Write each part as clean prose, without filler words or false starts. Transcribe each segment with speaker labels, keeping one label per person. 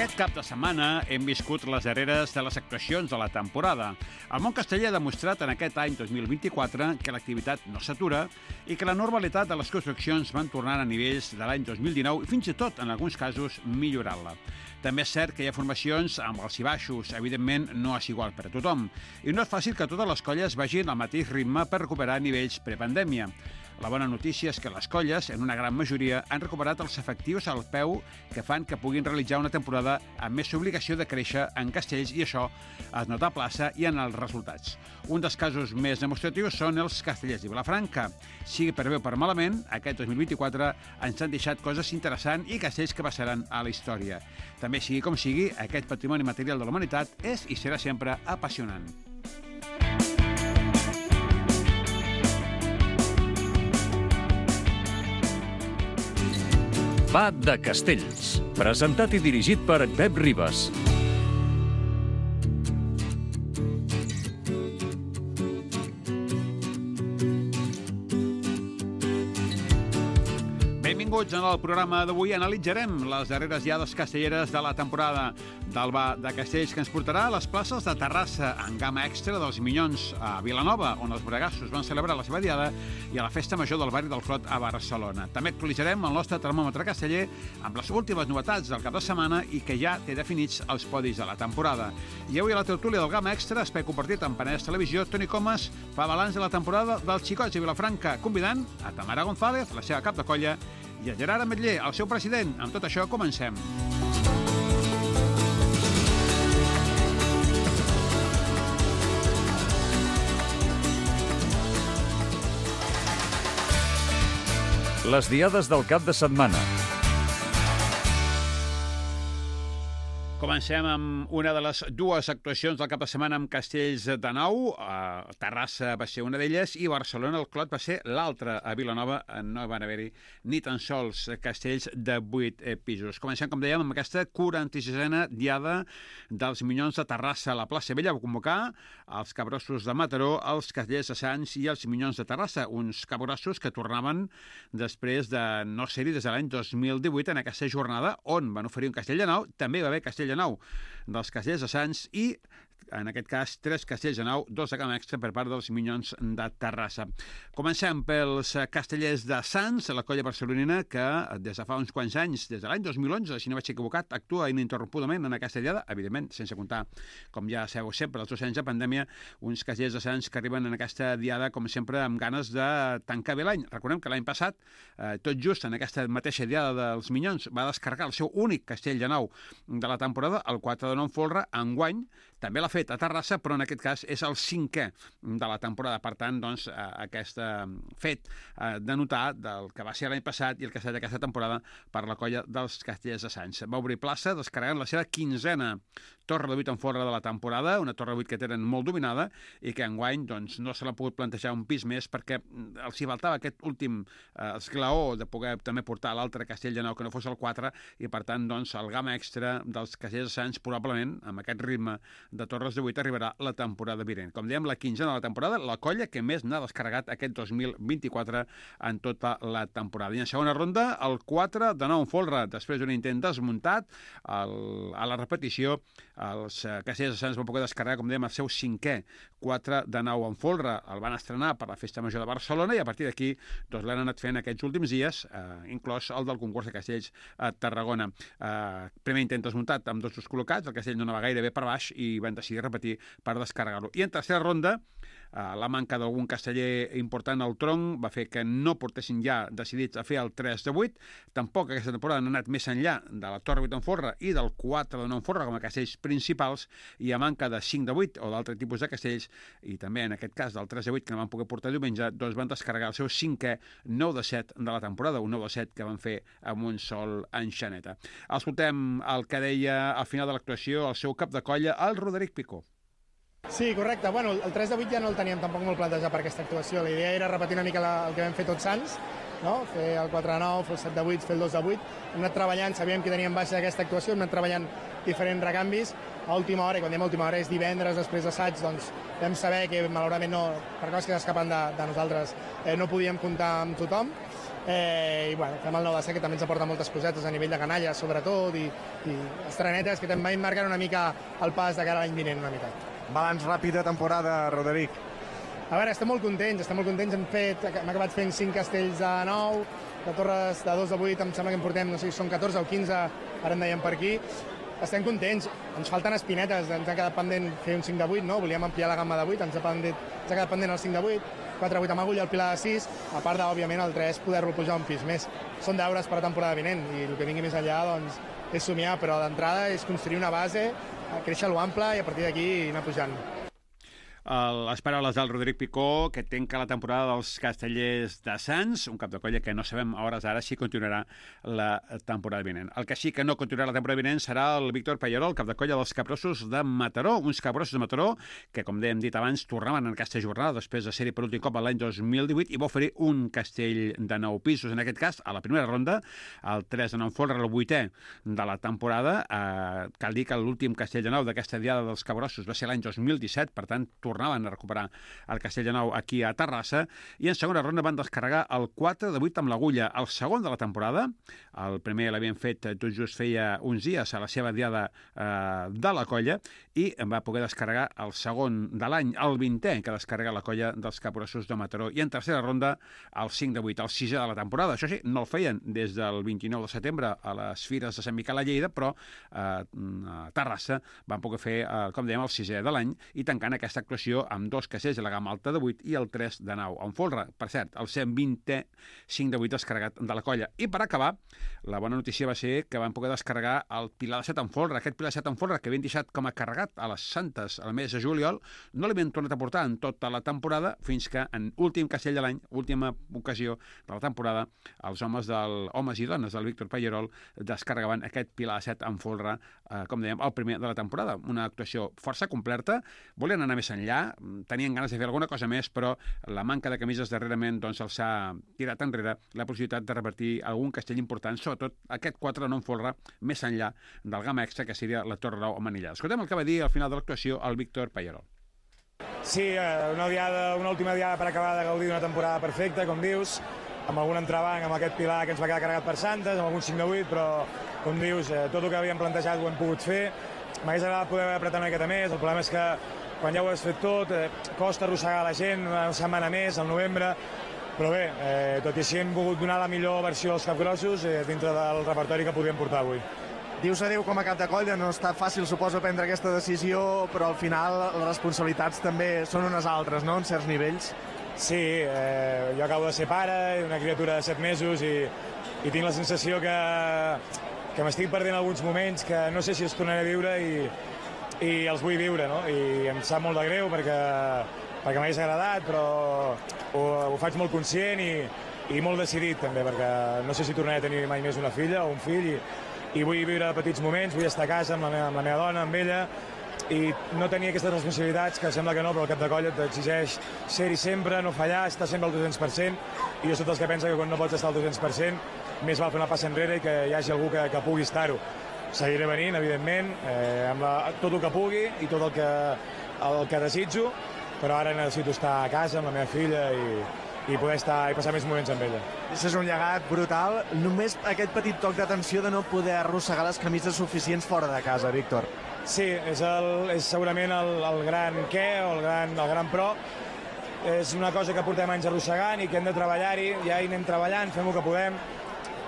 Speaker 1: Aquest cap de setmana hem viscut les darreres de les actuacions de la temporada. El món casteller ha demostrat en aquest any 2024 que l'activitat no s'atura i que la normalitat de les construccions van tornar a nivells de l'any 2019 i fins i tot, en alguns casos, millorant-la. També és cert que hi ha formacions amb alts i baixos. Evidentment, no és igual per a tothom. I no és fàcil que totes les colles vagin al mateix ritme per recuperar nivells prepandèmia. La bona notícia és que les colles, en una gran majoria, han recuperat els efectius al peu que fan que puguin realitzar una temporada amb més obligació de créixer en castells i això es nota a plaça i en els resultats. Un dels casos més demostratius són els castellers de Vilafranca. Sigui per bé o per malament, aquest 2024 ens han deixat coses interessants i castells que passaran a la història. També sigui com sigui, aquest patrimoni material de la humanitat és i serà sempre apassionant.
Speaker 2: Va de Castells, presentat i dirigit per Pep Ribas.
Speaker 1: Benvinguts en el programa d'avui. Analitzarem les darreres diades castelleres de la temporada del Va de Castells, que ens portarà a les places de Terrassa, en gamma extra dels Minyons, a Vilanova, on els Bregassos van celebrar la seva diada, i a la Festa Major del barri del Clot a Barcelona. També actualitzarem el nostre termòmetre casteller amb les últimes novetats del cap de setmana i que ja té definits els podis de la temporada. I avui a la tertúlia del gamma extra, espai compartit amb Penedès Televisió, Toni Comas fa balanç de la temporada dels Xicots de Vilafranca, convidant a Tamara González, la seva cap de colla, i a Gerard Ametller, el seu president. Amb tot això, comencem.
Speaker 2: Les diades del cap de setmana.
Speaker 1: Comencem amb una de les dues actuacions del cap de setmana amb castells de nou. Terrassa va ser una d'elles i Barcelona, el Clot, va ser l'altra. A Vilanova no van haver-hi ni tan sols castells de 8 pisos. Comencem, com dèiem, amb aquesta 46a diada dels Minyons de Terrassa. La plaça Vella va convocar els Capgrossos de Mataró, els Castellers de Sants i els Minyons de Terrassa, uns capgrossos que tornaven després de no ser-hi des de l'any 2018 en aquesta jornada on van oferir un castell de nou. També va haver castell de nou dels Castellers de Sants i, en aquest cas, 3 castells de nou, 2 de gamma extra per part dels Minyons de Terrassa. Comencem pels castellers de Sants, la colla barcelonina que des de fa uns quants anys, des de l'any 2011, si no vaig equivocat, actua ininterrompudament en aquesta diada, evidentment, sense comptar, com ja sabeu sempre, els 2 anys de pandèmia, uns castellers de Sants que arriben en aquesta diada, com sempre, amb ganes de tancar bé l'any. Recordem que l'any passat, tot just en aquesta mateixa diada dels Minyons, va descarregar el seu únic castell de nou de la temporada, el 4 de nou Folre. Enguany també l'ha fet a Terrassa, però en aquest cas és el 5è de la temporada. Per tant, doncs, aquest fet de notar del que va ser l'any passat i el que ha estat aquesta temporada per la colla dels Castellers de Sants. Va obrir plaça descarregant la seva 15a torre de 8 en folre de la temporada, una torre de 8 que tenen molt dominada i que enguany doncs, no se l'ha pogut plantejar un pis més perquè els hi faltava aquest últim esglaó de poder també portar l'altre castell de nou que no fos el 4 i per tant doncs, el gamma extra dels Castellers de Sants probablement amb aquest ritme de torres de 8 arribarà la temporada vinent. Com dèiem, la 15a de la temporada, la colla que més n'ha descarregat aquest 2024 en tota la temporada. I en segona ronda, el 4 de nou en folre, després d'un intent desmuntat, a la repetició, els Castellers de Sants van poder descarregar, com dèiem, el seu 5è 4 de nou en folre. El van estrenar per la Festa Major de Barcelona i a partir d'aquí doncs, l'han anat fent aquests últims dies, inclòs el del concurs de castells a Tarragona. Primer intent desmuntat amb 2 col·locats, el castell no anava gaire bé per baix i van decidir repetir per descarregar-lo. I en tercera ronda, la manca d'algun casteller important al tronc va fer que no portessin ja decidits a fer el 3 de 8. Tampoc aquesta temporada han anat més enllà de la torre 8 en folre i del 4 de 9 en folre com a castells principals i a manca de 5 de 8 o d'altre tipus de castells i també en aquest cas del 3 de 8 que no van poder portar diumenge, doncs van descarregar el seu 5è 9 de 7 de la temporada, un 9 de 7 que van fer amb un sol enxaneta. Escoltem el que deia al final de l'actuació el seu cap de colla, el Roderic Picó.
Speaker 3: Sí, correcte. Bueno, el 3 de 8 ja no el teníem tampoc molt plantejat per aquesta actuació. La idea era repetir una mica el que vam fer tots Sants, no? Fer el 4 de 9, fer el 7 de 8, fer el 2 de 8. Hem anat treballant, sabíem que teníem baixa d'aquesta actuació, hem anat treballant diferents recanvis. A última hora, i quan diem a última hora és divendres després d'assaig, doncs vam saber que malauradament no, per coses que s'escapen de nosaltres, no podíem comptar amb tothom. I bueno, fem el 9 de 7, que també ens aporta moltes cosetes a nivell de canalla, sobretot, i estrenetes que també marquen una mica el pas de cara a l'any vinent, una mica.
Speaker 4: Balanç ràpid de temporada, Roderic.
Speaker 3: A veure, estem molt contents. Hem acabat fent 5 castells de 9, de torres de 2 de 8, em sembla que en portem, no sé si són 14 o 15, ara en dèiem per aquí. Estem contents, ens falten espinetes, ens ha quedat pendent fer un 5 de 8, no? Volíem ampliar la gamma de 8, ens ha quedat pendent el 5 de 8, 4 de 8 amb agulla, el pilar de 6, a part d'òbviament el 3 poder-lo pujar un pis més. Són deures per a temporada vinent i el que vingui més enllà doncs, és somiar, però d'entrada és construir una base, créixer l'ample i a partir d'aquí anar pujant.
Speaker 1: Les paraules del Roderic Picó, que tanca la temporada dels Castellers de Sants, un cap de colla que no sabem a hores ara si continuarà la temporada vinent. El que sí que no continuarà la temporada vinent serà el Víctor Pallarol, cap de colla dels Capgrossos de Mataró, uns Capgrossos de Mataró que, com hem dit abans, tornaven en aquesta jornada després de ser-hi per últim cop l'any 2018 i va oferir un castell de 9 pisos, en aquest cas, a la primera ronda, el 3 de 9 folre, el 8è de la temporada. Cal dir que l'últim castell de 9 d'aquesta diada dels Capgrossos va ser l'any 2017, per tant, tornaven a recuperar el castell de 9 aquí a Terrassa, i en segona ronda van descarregar el 4 de 8 amb l'agulla, el segon de la temporada. El primer l'havien fet tot just feia uns dies a la seva diada de la colla, i va poder descarregar el segon de l'any, el 20è que descarrega la colla dels Capgrossos de Mataró, i en tercera ronda el 5 de 8, el 6è de la temporada. Això sí, no el feien des del 29 de setembre a les Fires de Sant Miquel a Lleida, però a Terrassa van poder fer, com dèiem, el 6è de l'any, i tancant aquesta actuació amb 2 castells de la gamma alta de 8 i el 3 de 9. En folre, per cert, el 120è 5 de 8 descarregat de la colla. I per acabar, la bona notícia va ser que van poder descarregar el pilar de 7 en folre. Aquest pilar de 7 en folre que havien deixat com a carregat a les Santes al mes de juliol, no l'havien tornat a portar en tota la temporada, fins que en últim castell de l'any, última ocasió de la temporada, els homes i dones del Víctor Pallarol descarregaven aquest pilar de 7 en folre, com dèiem, el primer de la temporada. Una actuació força completa, volien anar més enllà, tenien ganes de fer alguna cosa més, però la manca de camises darrerament doncs els ha tirat enrere la possibilitat de revertir algun castell important, sobretot aquest 4 de 9 folre, més enllà del gamma extra, que seria la Torre 9 a Manillà. Escoltem el que va dir al final de l'actuació el Víctor Pallarol.
Speaker 5: Sí, una última diada per acabar de gaudir d'una temporada perfecta, com dius, amb algun entrebanc, amb aquest pilar que ens va quedar carregat per Santes, amb algun 5 de 8, però, com dius, tot el que havíem plantejat ho hem pogut fer. M'hagués agradat poder apretar una miqueta més, el problema és que quan ja ho has fet tot, costa arrossegar la gent una setmana més, al novembre, però bé, tot i així hem volgut donar la millor versió dels Capgrossos dintre del repertori que podíem portar avui.
Speaker 4: Dius adéu com a cap de colla, no està fàcil, suposo, prendre aquesta decisió, però al final les responsabilitats també són unes altres, no?, en certs nivells.
Speaker 5: Sí, jo acabo de ser pare, una criatura de 7 mesos, i tinc la sensació que m'estic perdent alguns moments que no sé si els tornaré a viure i els vull viure, no? I em sap molt de greu perquè m'hagués agradat, però ho faig molt conscient i molt decidit també, perquè no sé si tornaré a tenir mai més una filla o un fill, i vull viure petits moments, vull estar a casa amb la meva dona, amb ella, i no tenir aquestes responsabilitats, que sembla que no, però el cap de colla t'exigeix ser-hi sempre, no fallar, estar sempre al 200%, i jo soc dels que pensa que quan no pots estar al 200%, més val fer una passa enrere i que hi hagi algú que pugui estar-ho. Seguiré venint, evidentment, amb tot el que pugui i tot el que desitjo, però ara necessito estar a casa amb la meva filla i poder estar i passar més moments amb ella.
Speaker 4: Això és un llegat brutal. Només aquest petit toc d'atenció de no poder arrossegar les camises suficients fora de casa, Víctor.
Speaker 5: Sí, és segurament el gran què o el gran pro. És una cosa que portem anys arrossegant i que hem de treballar-hi, ja hi anem treballant, fem el que podem.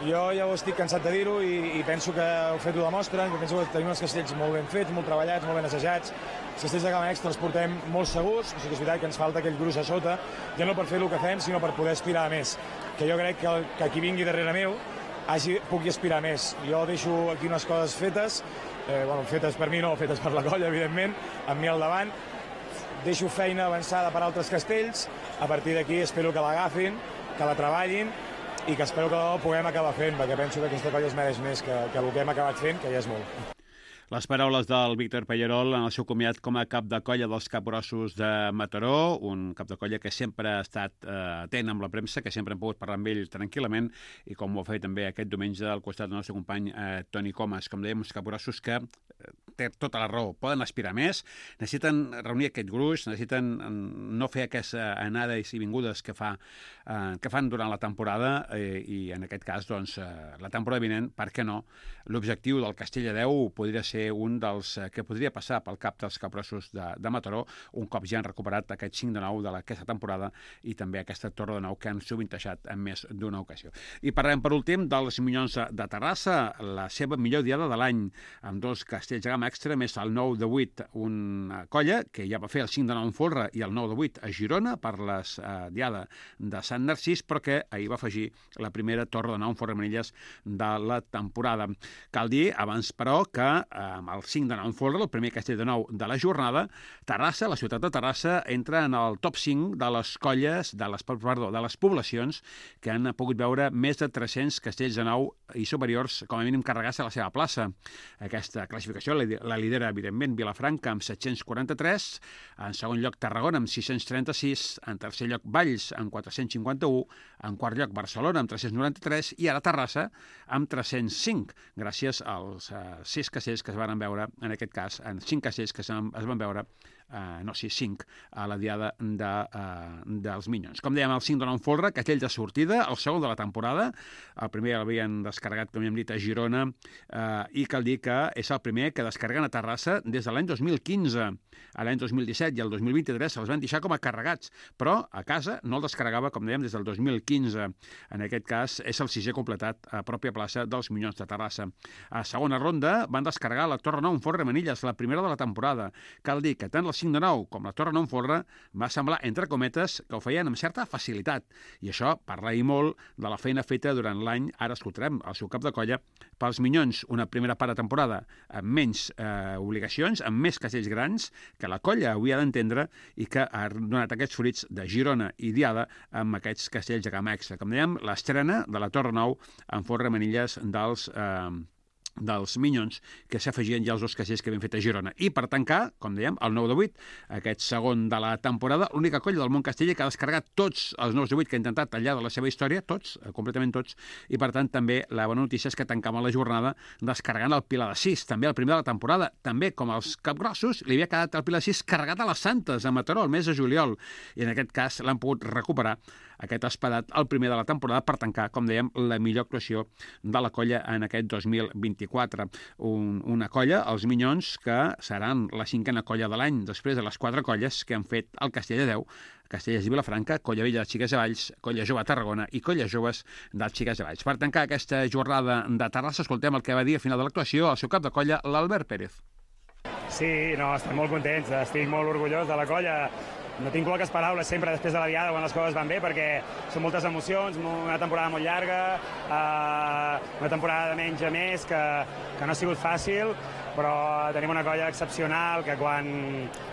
Speaker 5: Jo ja ho estic cansat de dir-ho i penso que heu fet ho demostren, que penso que tenim els castells molt ben fets, molt treballats, molt ben assajats. Els castells de gamma extra els portem molt segurs, o sigui que és veritat que ens falta aquell gruix a sota, ja no per fer el que fem, sinó per poder aspirar a més. Que jo crec que qui vingui darrere meu pugui aspirar a més. Jo deixo aquí unes coses fetes, fetes per mi no, fetes per la colla, evidentment, amb mi al davant. Deixo feina avançada per altres castells, a partir d'aquí espero que l'agafin, que la treballin, i que espero que ho puguem acabar fent, perquè penso que aquesta colla es mereix més que el que hem acabat fent, que ja és molt.
Speaker 1: Les paraules del Víctor Pallarol en el seu comiat com a cap de colla dels Capgrossos de Mataró, un cap de colla que sempre ha estat atent amb la premsa, que sempre hem pogut parlar amb ell tranquil·lament, i com ho ha fet també aquest diumenge al costat del nostre company Toni Comas. Com dèiem, uns Capgrossos que té tota la raó, poden aspirar més, necessiten reunir aquest gruix, necessiten no fer aquesta anades i vingudes que fan durant la temporada i en aquest cas, doncs, la temporada vinent, per què no? L'objectiu del Castell de Déu podria ser un dels que podria passar pel cap dels capgrossos de Mataró, un cop ja han recuperat aquest 5 de 9 d'aquesta temporada i també aquesta torre de 9 que han sovintejat en més d'una ocasió. I parlem, per últim, dels Minyons de Terrassa, la seva millor diada de l'any, amb 2 castells de gamma extra, més el 9 de 8, una colla que ja va fer el 5 de 9 en folre i el 9 de 8 a Girona per la diada de Sant Narcís, però que ahir va afegir la primera torre de 9 en folre Manilles de la temporada. Cal dir, abans, però, que amb el 5 de 9 en folre, el primer castell de 9 de la jornada, Terrassa, la ciutat de Terrassa, entra en el top 5 de les colles, de les poblacions que han pogut veure més de 300 castells de 9 i superiors, com a mínim, carregar-se a la seva plaça. Aquesta classificació la lidera, evidentment, Vilafranca, amb 743, en segon lloc Tarragona, amb 636, en tercer lloc Valls, amb 451, en quart lloc Barcelona, amb 393, i ara Terrassa, amb 305, gràcies als 6 castells que es van veure, en aquest cas, en 5 castells que es van veure, 5, a la diada dels Minyons. Com dèiem, el 5 de 9 en folre, castell de sortida, el segon de la temporada, el primer l'havien descarregat, com hem dit, a Girona, i cal dir que és el primer que descarreguen a Terrassa des de l'any 2015. A l'any 2017 i el 2023 se'ls van deixar com a carregats, però a casa no el descarregava, com dèiem, des del 2015. En aquest cas, és el 6è completat a pròpia plaça dels Minyons de Terrassa. A segona ronda van descarregar la Torre 9 en folre Manilles, la primera de la temporada. Cal dir que tant el 5 de 9 com la Torre 9 en folre va semblar, entre cometes, que ho feien amb certa facilitat. I això parla i molt de la feina feta durant l'any, ara escoltarem el seu cap de colla, pels Minyons, una primera part de temporada amb menys obligacions, amb més castells grans, que la colla havia d'entendre i que ha donat aquests fruits de Girona i Diada amb aquests castells de gamma extra. Com dèiem, l'estrena de la Torre 9 en folre Manilles dels Minyons, que s'afegien ja els 2 castells que havien fet a Girona. I per tancar, com dèiem, el 9 de 8, aquest segon de la temporada, l'única colla del món casteller que ha descarregat tots els 9 de 8 que ha intentat al llarg de la seva història, tots, completament tots, i per tant també la bona notícia és que tancàvem la jornada descarregant el Pilar de 6, també el primer de la temporada, també com els capgrossos, li havia quedat el Pilar de 6 carregat a les Santes, a Mataró, el mes de juliol, i en aquest cas l'han pogut recuperar aquest espadat, el primer de la temporada, per tancar, com dèiem, la millor actuació de la colla en aquest 2024. Una colla, els Minyons, que seran la 5a colla de l'any, després de les 4 colles que han fet el Castell de Déu, Castellers de Vilafranca, Colla Vella de Xiques de Valls, Colla Jove de Tarragona i Colles Joves dels Xiques de Valls. Per tancar aquesta jornada de Terrassa, escoltem el que va dir a final de l'actuació el seu cap de colla, l'Albert Pérez.
Speaker 6: Sí, no, estem molt contents, estic molt orgullós de la colla. No tinc poques paraules sempre després de la diada quan les coses van bé, perquè són moltes emocions, una temporada molt llarga, una temporada de menys a més, que no ha sigut fàcil, però tenim una colla excepcional que quan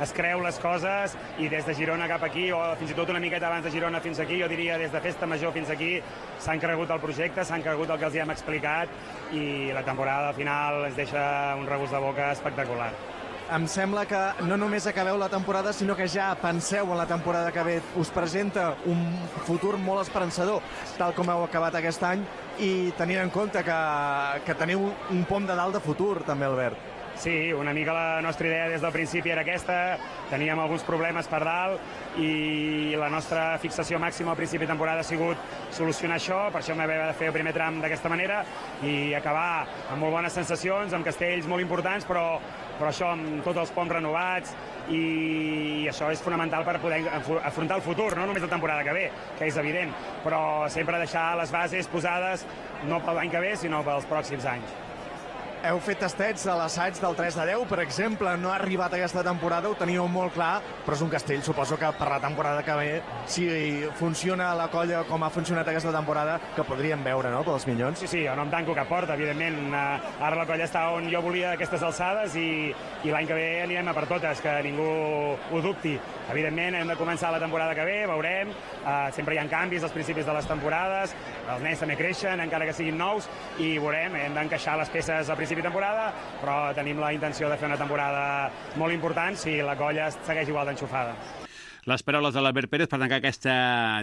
Speaker 6: es creu les coses i des de Girona cap aquí, o fins i tot una miqueta abans de Girona fins aquí, jo diria des de Festa Major fins aquí, s'han cregut el projecte, s'han cregut el que els hi hem explicat i la temporada al final ens deixa un regust de boca espectacular.
Speaker 4: Em sembla que no només acabeu la temporada, sinó que ja penseu en la temporada que ve. Us presenta un futur molt esperançador, tal com heu acabat aquest any, i tenint en compte que teniu un pom de dalt de futur, també, Albert.
Speaker 6: Sí, una mica la nostra idea des del principi era aquesta, teníem alguns problemes per dalt i la nostra fixació màxima al principi de temporada ha sigut solucionar això, per això vam haver de fer el primer tram d'aquesta manera i acabar amb molt bones sensacions, amb castells molt importants, però això amb tots els poms renovats i això és fonamental per poder afrontar el futur, no només la temporada que ve, que és evident, però sempre deixar les bases posades no per l'any que ve, sinó pels pròxims anys.
Speaker 4: Heu fet tastets a l'assaig del 3 de 10, per exemple, no ha arribat aquesta temporada, ho teníeu molt clar, però és un castell, suposo que per la temporada que ve, si funciona la colla com ha funcionat aquesta temporada, que podríem veure, no?, pels Minyons.
Speaker 6: Sí, jo no em tanco cap porta, evidentment. Ara la colla està on jo volia aquestes alçades i l'any que ve anirem a per totes, que ningú ho dubti. Evidentment, hem de començar la temporada que ve, veurem, sempre hi ha canvis als principis de les temporades, els nens també creixen, encara que siguin nous, i veurem, hem d'encaixar les peces al principi de temporada, però tenim la intenció de fer una temporada molt important si la colla segueix igual d'enxufada.
Speaker 1: Les paraules de l'Albert Pérez per tancar aquesta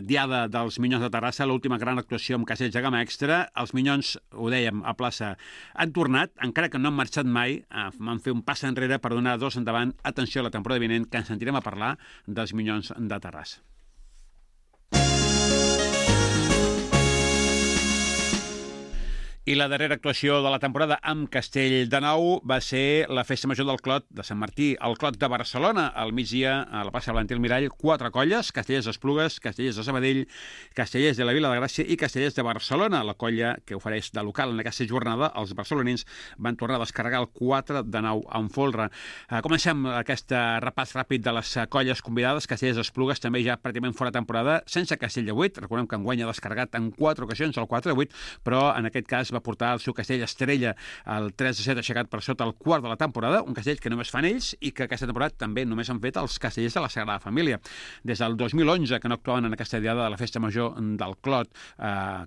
Speaker 1: diada dels Minyons de Terrassa, l'última gran actuació amb castells de gamma extra. Els Minyons, ho dèiem, a plaça han tornat, encara que no han marxat mai, van fer un pas enrere per donar dos endavant. Atenció a la temporada vinent, que ens sentirem a parlar dels Minyons de Terrassa. I la darrera actuació de la temporada amb Castell de Nou va ser la Festa Major del Clot de Sant Martí, el Clot de Barcelona, al migdia, a la plaça Valentí Almirall, 4 colles, Castellers d'Esplugues, Castellers de Sabadell, Castellers de la Vila de Gràcia i Castellers de Barcelona. La colla que ofereix de local en aquesta jornada, els barcelonins van tornar a descarregar el 4 de 9 en folre. Comencem aquest repàs ràpid de les colles convidades. Castellers d'Esplugues també ja pràcticament fora temporada, sense Castell de 8. Recordem que enguany ha descarregat en 4 ocasions el 4 de 8, però en aquest cas va portar el seu castell Estrella al 3-7 aixecat per sota el quart de la temporada, un castell que només fan ells i que aquesta temporada també només han fet els castellers de la Sagrada Família. Des del 2011 que no actuaven en aquesta diada de la Festa Major del Clot,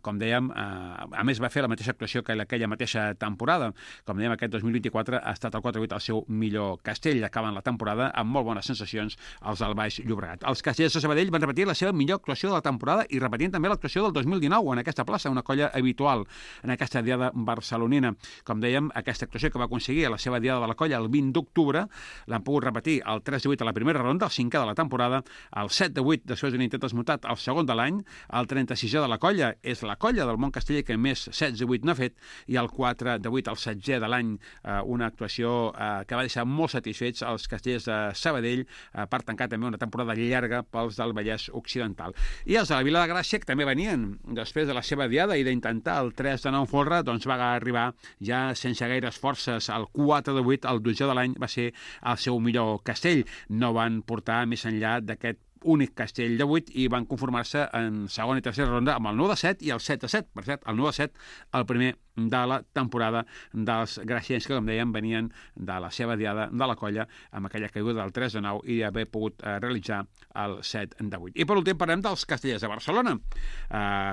Speaker 1: com dèiem, a més va fer la mateixa actuació que aquella mateixa temporada. Com dèiem, aquest 2024 ha estat el 4-8 el seu millor castell. Acaben la temporada amb molt bones sensacions els del Baix Llobregat. Els castellers de Sabadell van repetir la seva millor actuació de la temporada i repetint també l'actuació del 2019 en aquesta plaça, una colla habitual en aquesta diada barcelonina. Com dèiem, aquesta actuació que va aconseguir a la seva diada de la colla el 20 d'octubre l'han pogut repetir el 3-8 a la primera ronda, el 5è de la temporada, el 7-8 després d'un intent desmutat, el segon de l'any, el 36è de la colla és la colla del món casteller que més 16-8 n'ha fet, i el 4-8 el 16è de l'any, una actuació que va deixar molt satisfets els castellers de Sabadell per tancar també una temporada llarga pels del Vallès Occidental. I els de la Vila de Gràcia, que també venien després de la seva diada i d'intentar el 3 de 9 folre, doncs va arribar ja sense gaires forces al 4-8, el 12è de l'any va ser el seu millor castell. No van portar més enllà d'aquest únic castell de 8 i van conformar-se en segona i tercera ronda amb el 9-7 i el 7-7. Per cert, el 9-7, el primer de la temporada dels graciens que, com dèiem, venien de la seva diada de la colla amb aquella caiguda del 3-9 i haver pogut realitzar el 7-8. I per últim parlem dels Castellers de Barcelona,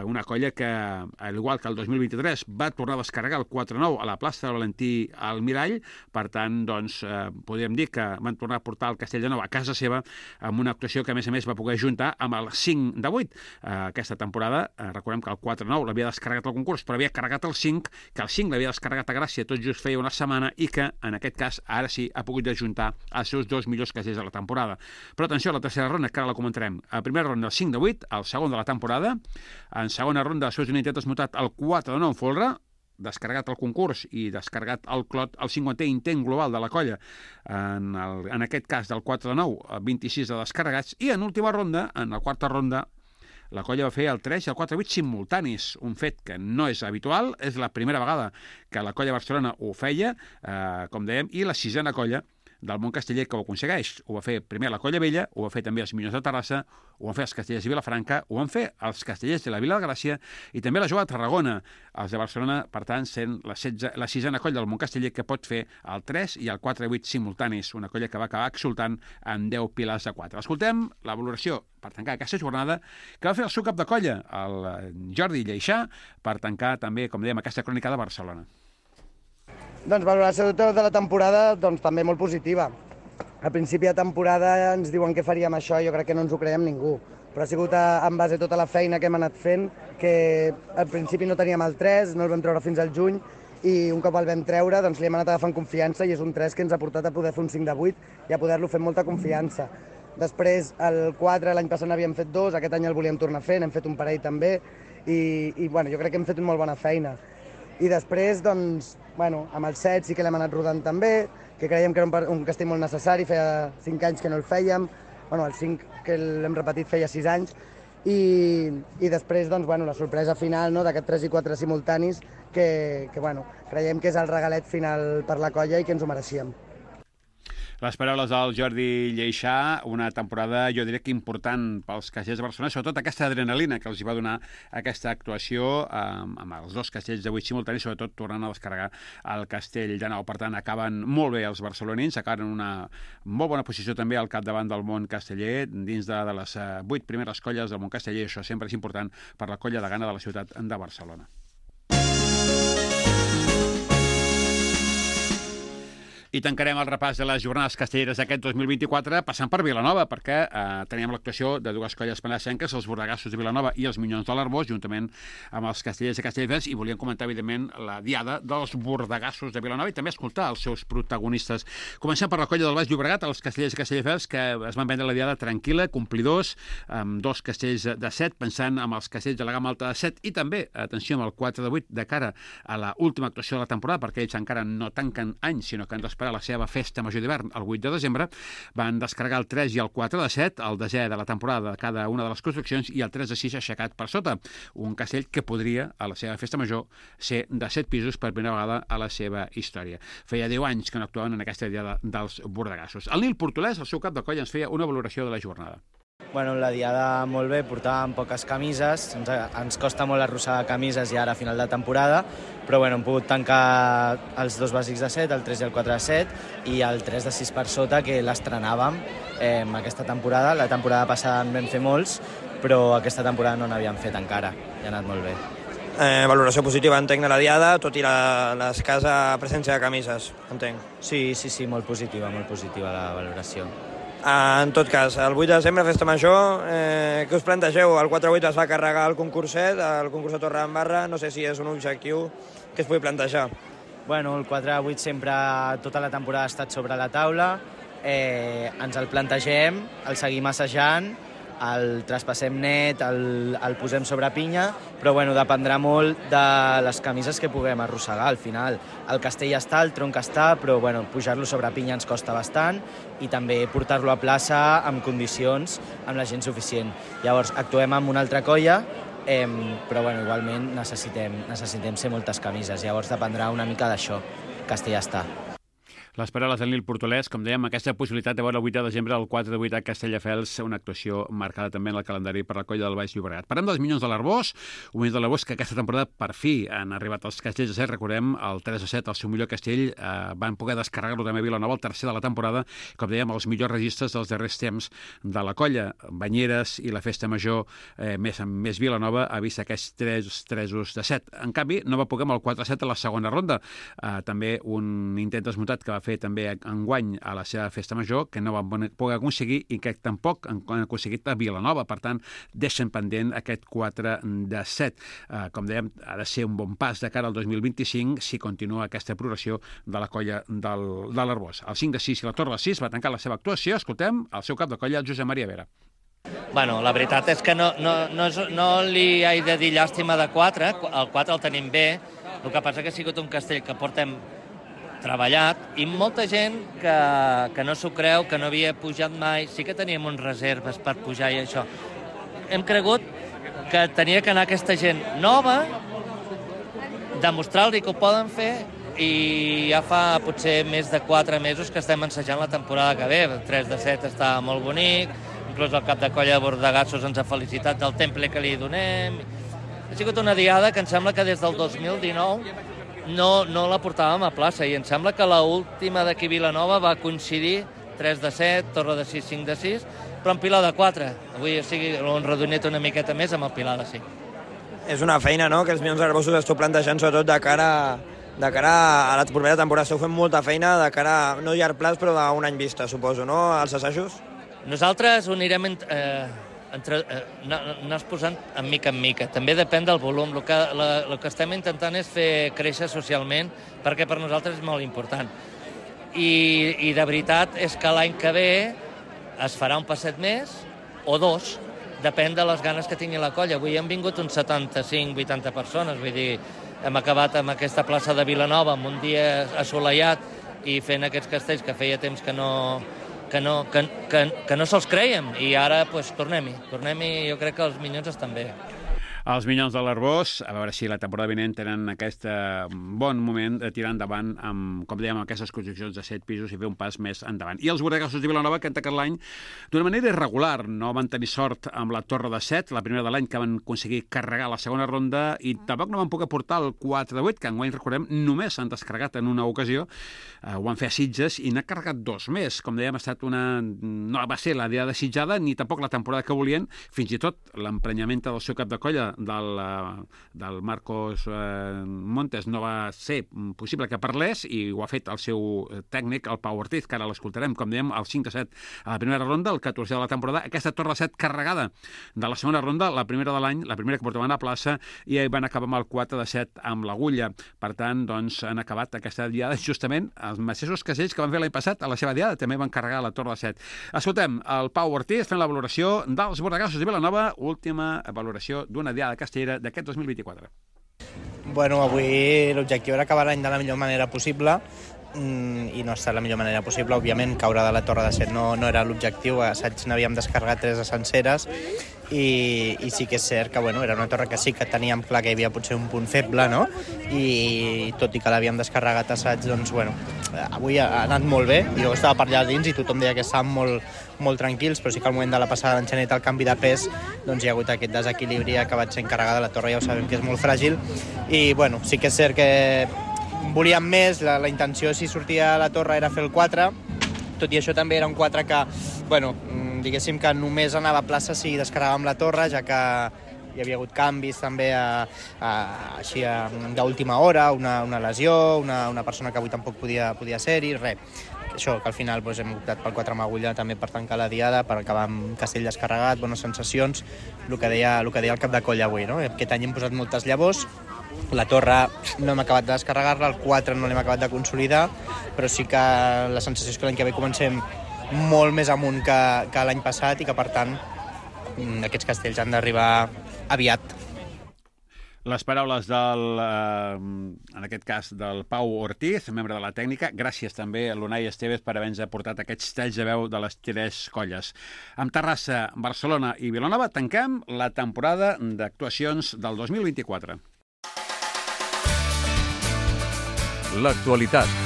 Speaker 1: una colla que, al igual que el 2023, va tornar a descarregar el 4-9 a la plaça de Valentí Almirall. Per tant, doncs, podríem dir que van tornar a portar el Castell de Nou a casa seva amb una actuació que, a més, va poder juntar amb el 5-8. Aquesta temporada, recordem que el 4-9 l'havia descarregat al concurs, però havia carregat el 5, que el 5 l'havia descarregat a Gràcia tot just feia una setmana i que, en aquest cas, ara sí ha pogut ajuntar els seus dos millors castells de la temporada. Però atenció a la tercera ronda, que ara la comentarem. A primera ronda el 5-8, el segon de la temporada. En segona ronda, després d'un intent desmutat, el 4-9 en folre, descarregat el concurs i descarregat el Clot, el 50è intent global de la colla, en aquest cas del 4-9, 26 de descarregats, i en última ronda, en la quarta ronda, la colla va fer el 3 i el 4-8 simultanis, un fet que no és habitual, és la primera vegada que la colla Barcelona ho feia, com dèiem, i la sisena colla del món casteller que ho aconsegueix. Ho va fer primer la Colla Vella, ho va fer també els Minyons de Terrassa, ho van fer els Castellers de Vilafranca, ho van fer els Castellers de la Vila de Gràcia i també la Jove de Tarragona. Els de Barcelona, per tant, sent la sisena colla del món casteller que pot fer el 3 i el 4-8 simultanis, una colla que va acabar exultant amb 10 pilars de 4. Escoltem la valoració per tancar aquesta jornada que va fer el seu cap de colla, el Jordi Lleixà, per tancar també, com dèiem, aquesta crònica de Barcelona.
Speaker 7: Doncs valoració de la temporada doncs, també molt positiva. A principi de temporada ens diuen que faríem això, jo crec que no ens ho creiem ningú, però ha sigut en base a tota la feina que hem anat fent, que al principi no teníem el 3, no el vam treure fins al juny, i un cop el vam treure doncs, li hem anat agafant confiança i és un 3 que ens ha portat a poder fer un 5-8 i a poder-lo fer amb molta confiança. Després, el 4, l'any passat n'havíem fet 2, aquest any el volíem tornar a fer, n'hem fet un parell també, i bueno, jo crec que hem fet una molt bona feina. I després, doncs, bueno, amb el 7 sí que l'hem anat rodant també, que creiem que era un castell molt necessari, feia 5 anys que no el fèiem, bueno, el 5 que l'hem repetit feia 6 anys, i després, doncs, bueno, la sorpresa final, no?, d'aquest 3 i 4 simultanis, que bueno, creiem que és el regalet final per la colla i que ens ho mereixíem.
Speaker 1: Les paraules del Jordi Lleixà, una temporada, jo diria que important pels castellers de Barcelona, sobretot aquesta adrenalina que els hi va donar aquesta actuació amb els dos castells de 8 simultanis, sobretot tornant a descarregar el castell de Nou. Per tant, acaben molt bé els barcelonins, acaben en una molt bona posició també al capdavant del món casteller, dins de les 8 primeres colles del món casteller, i això sempre és important per la colla de gana de la ciutat de Barcelona. I tancarem el repàs de les jornades castelleres d'aquest 2024 passant per Vilanova, perquè teníem l'actuació de dues colles penesenques, els Bordegassos de Vilanova i els Minyons de l'Arboç, juntament amb els castellers de Castelldefels, i volíem comentar, evidentment, la diada dels Bordegassos de Vilanova i també escoltar els seus protagonistes. Comencem per la colla del Baix Llobregat, els castellers de Castelldefels, que es van vendre la diada tranquil·la, complidors, amb 2 castells de 7, pensant amb els castells de la gamma alta de 7, i també, atenció, amb el 4 de 8, de cara a l'última actuació de la temporada, perquè ells encara no tanquen any, sinó que han d'esperar la seva festa major d'hivern el 8 de desembre, van descarregar el 3 i el 4 de 7, el desè de la temporada de cada una de les construccions, i el 3 de 6 aixecat per sota. Un castell que podria, a la seva festa major, ser de 7 pisos per primera vegada a la seva història. Feia 10 anys que no actuaven en aquesta diada dels Bordegassos. El Nil Portolès, el seu cap de colla, ens feia una valoració de la jornada.
Speaker 8: Bueno, la diada molt bé, portàvem poques camises, ens costa molt arrossegar camises ja ara a final de temporada, però bueno, hem pogut tancar els 2 bàsics de 7, el 3 i el 4 de 7, i el 3 de 6 per sota, que l'estrenàvem aquesta temporada. La temporada passada en vam fer molts, però aquesta temporada no n'havíem fet encara, i ha anat molt bé.
Speaker 9: Valoració positiva, entenc, de la diada, tot i l'escassa presència de camises, entenc.
Speaker 8: Sí, molt positiva la valoració.
Speaker 9: En tot cas, el 8 de desembre, festa major, què us plantegeu? El 4-8 es va carregar el concurset, el concurs de Torredembarra, no sé si és un objectiu que es pugui plantejar.
Speaker 8: Bueno, el 4-8 sempre, tota la temporada ha estat sobre la taula, ens el plantegem, el seguim assajant, el traspassem net, el posem sobre pinya, però bueno, dependrà molt de les camises que puguem arrossegar al final. El castell està, el tronc està, però bueno, pujar-lo sobre pinya ens costa bastant i també portar-lo a plaça amb condicions, amb la gent suficient. Llavors, actuem amb una altra colla, però bueno, igualment necessitem ser moltes camises. Llavors dependrà una mica d'això. Castell està.
Speaker 1: Les paraules del Nil Portolès, com dèiem, aquesta possibilitat de veure el 8 de desembre al 4 de 8 a Castelldefels, una actuació marcada també en el calendari per la colla del Baix Llobregat. Parlem dels Minyons de l'Arboç, un Minyons de l'Arboç que aquesta temporada per fi han arribat als castells de 7, recordem, el 3 de 7, el seu millor castell, van poder descarregar-lo també a Vilanova, el tercer de la temporada, com dèiem, els millors registres dels darrers temps de la colla. Banyeres i la festa major més Vilanova ha vist aquests 3 de 7. En canvi, no va poder amb el 4-7 a la segona ronda. També un intent desmuntat que va fer també enguany a la seva festa major, que no van poder aconseguir i que tampoc han aconseguit a Vilanova. Per tant, deixen pendent aquest 4 de 7. Com dèiem, ha de ser un bon pas de cara al 2025 si continua aquesta progressió de la colla de l'Arboç. El 5 de 6 i la Torre de 6 va tancar la seva actuació. Escoltem el seu cap de colla, Josep Maria Vera.
Speaker 10: Bueno, la veritat és que no li he de dir llàstima de 4, el 4 el tenim bé, el que passa que ha sigut un castell que portem treballat i molta gent que no s'ho creu, que no havia pujat mai, sí que teníem uns reserves per pujar i això. Hem cregut que tenia que anar aquesta gent nova, demostrar-li que ho poden fer, i ja fa potser més de 4 mesos que estem ensajant la temporada que ve. El 3 de 7 està molt bonic, inclús el cap de colla de Bordegassos ens ha felicitat del temple que li donem. Ha sigut una diada que em sembla que des del 2019 no la portàvem a plaça, i em sembla que l'última d'aquí Vilanova va coincidir 3 de 7, Torre de 6, 5 de 6, però en Pilar de 4. Avui ho hem redonit una miqueta més amb el Pilar de 5.
Speaker 9: És una feina, no?, que els Minyons d'Arboços esteu plantejant, sobretot de cara a la propera temporada. Esteu fent molta feina de cara, no a llarg plaç, però a un any vista, suposo, no?, als assajos?
Speaker 10: Nosaltres ho anirem anar posant en mica. També depèn del volum. El que estem intentant és fer créixer socialment, perquè per nosaltres és molt important. I de veritat és que l'any que ve es farà un passet més o 2, depèn de les ganes que tingui la colla. Avui han vingut uns 75-80 persones, vull dir, hem acabat amb aquesta plaça de Vilanova amb un dia assolellat i fent aquests castells que feia temps que no se'ls creiem, i ara pues, tornem-hi, jo crec que els Minyons estan bé.
Speaker 1: Els Minyons de l'Arboç, a veure si la temporada vinent tenen aquest bon moment de tirar endavant amb, com dèiem, aquestes construccions de 7 pisos i fer un pas més endavant. I els Bordegassos de Vilanova, que han tancat l'any d'una manera irregular. No van tenir sort amb la Torre de 7, la primera de l'any, que van aconseguir carregar la segona ronda, i tampoc no van poder portar el 4 de 8, que enguany, recordem, només s'han descarregat en una ocasió. Ho van fer a Sitges i n'ha carregat 2 més. Com dèiem, no va ser la diada desitjada ni tampoc la temporada que volien. Fins i tot l'emprenyament del seu cap de colla, del Marcos Montes no va ser possible que parlés i ho ha fet el seu tècnic, el Pau Ortiz, que ara l'escoltarem, com dèiem, el 5-7 a la primera ronda, el 14 de la temporada. Aquesta torre de 7 carregada de la segona ronda, la primera de l'any, la primera que portaven a plaça, i van acabar amb el 4-7 amb l'Agulla. Per tant, doncs, han acabat aquesta diada justament els mateixos casells que van fer l'any passat a la seva diada, també van carregar la torre de 7. Escoltem el Pau Ortiz fent la valoració dels bordegassos de Vilanova, última valoració d'una diada castellera d'aquest 2024.
Speaker 8: Bueno, avui l'objectiu era acabar l'any de la millor manera possible i no ha estat la millor manera possible. Òbviament, caure de la torre de 7 no era l'objectiu. A assaig n'havíem descarregat 3 de senceres i sí que és cert que era una torre que sí que teníem clar que hi havia potser un punt feble, no? I tot i que l'havíem descarregat a assaig, doncs, avui ha anat molt bé. Jo estava per allà dins i tothom deia que estàvem molt tranquils, però sí que al moment de la passada d'enxanet, el canvi de pes, doncs hi ha hagut aquest desequilibri, ha acabat sent carregada la torre, ja ho sabem que és molt fràgil. I, sí que és cert que volíem més, la intenció si sortia a la torre era fer el 4, tot i això també era un 4 que, diguéssim que només anava a plaça si descarregàvem la torre, ja que hi havia hagut canvis també així d'última hora, una lesió, una persona que avui tampoc podia ser-hi, res. Això, que al final hem optat pel 4 amb agulla també per tancar la diada, per acabar amb castell descarregat, bones sensacions, el que deia el cap de colla avui, no? Aquest any hem posat moltes llavors, la torre no hem acabat de descarregar-la, el 4 no l'hem acabat de consolidar, però sí que la sensació és que l'any que ve comencem molt més amunt que l'any passat i que, per tant, aquests castells han d'arribar aviat.
Speaker 1: Les paraules en aquest cas, del Pau Ortiz, membre de la tècnica. Gràcies també a l'Unai Esteves per haver-nos aportat aquests talls de veu de les 3 colles. Amb Terrassa, Barcelona i Vilanova tanquem la temporada d'actuacions del 2024.
Speaker 2: L'actualitat.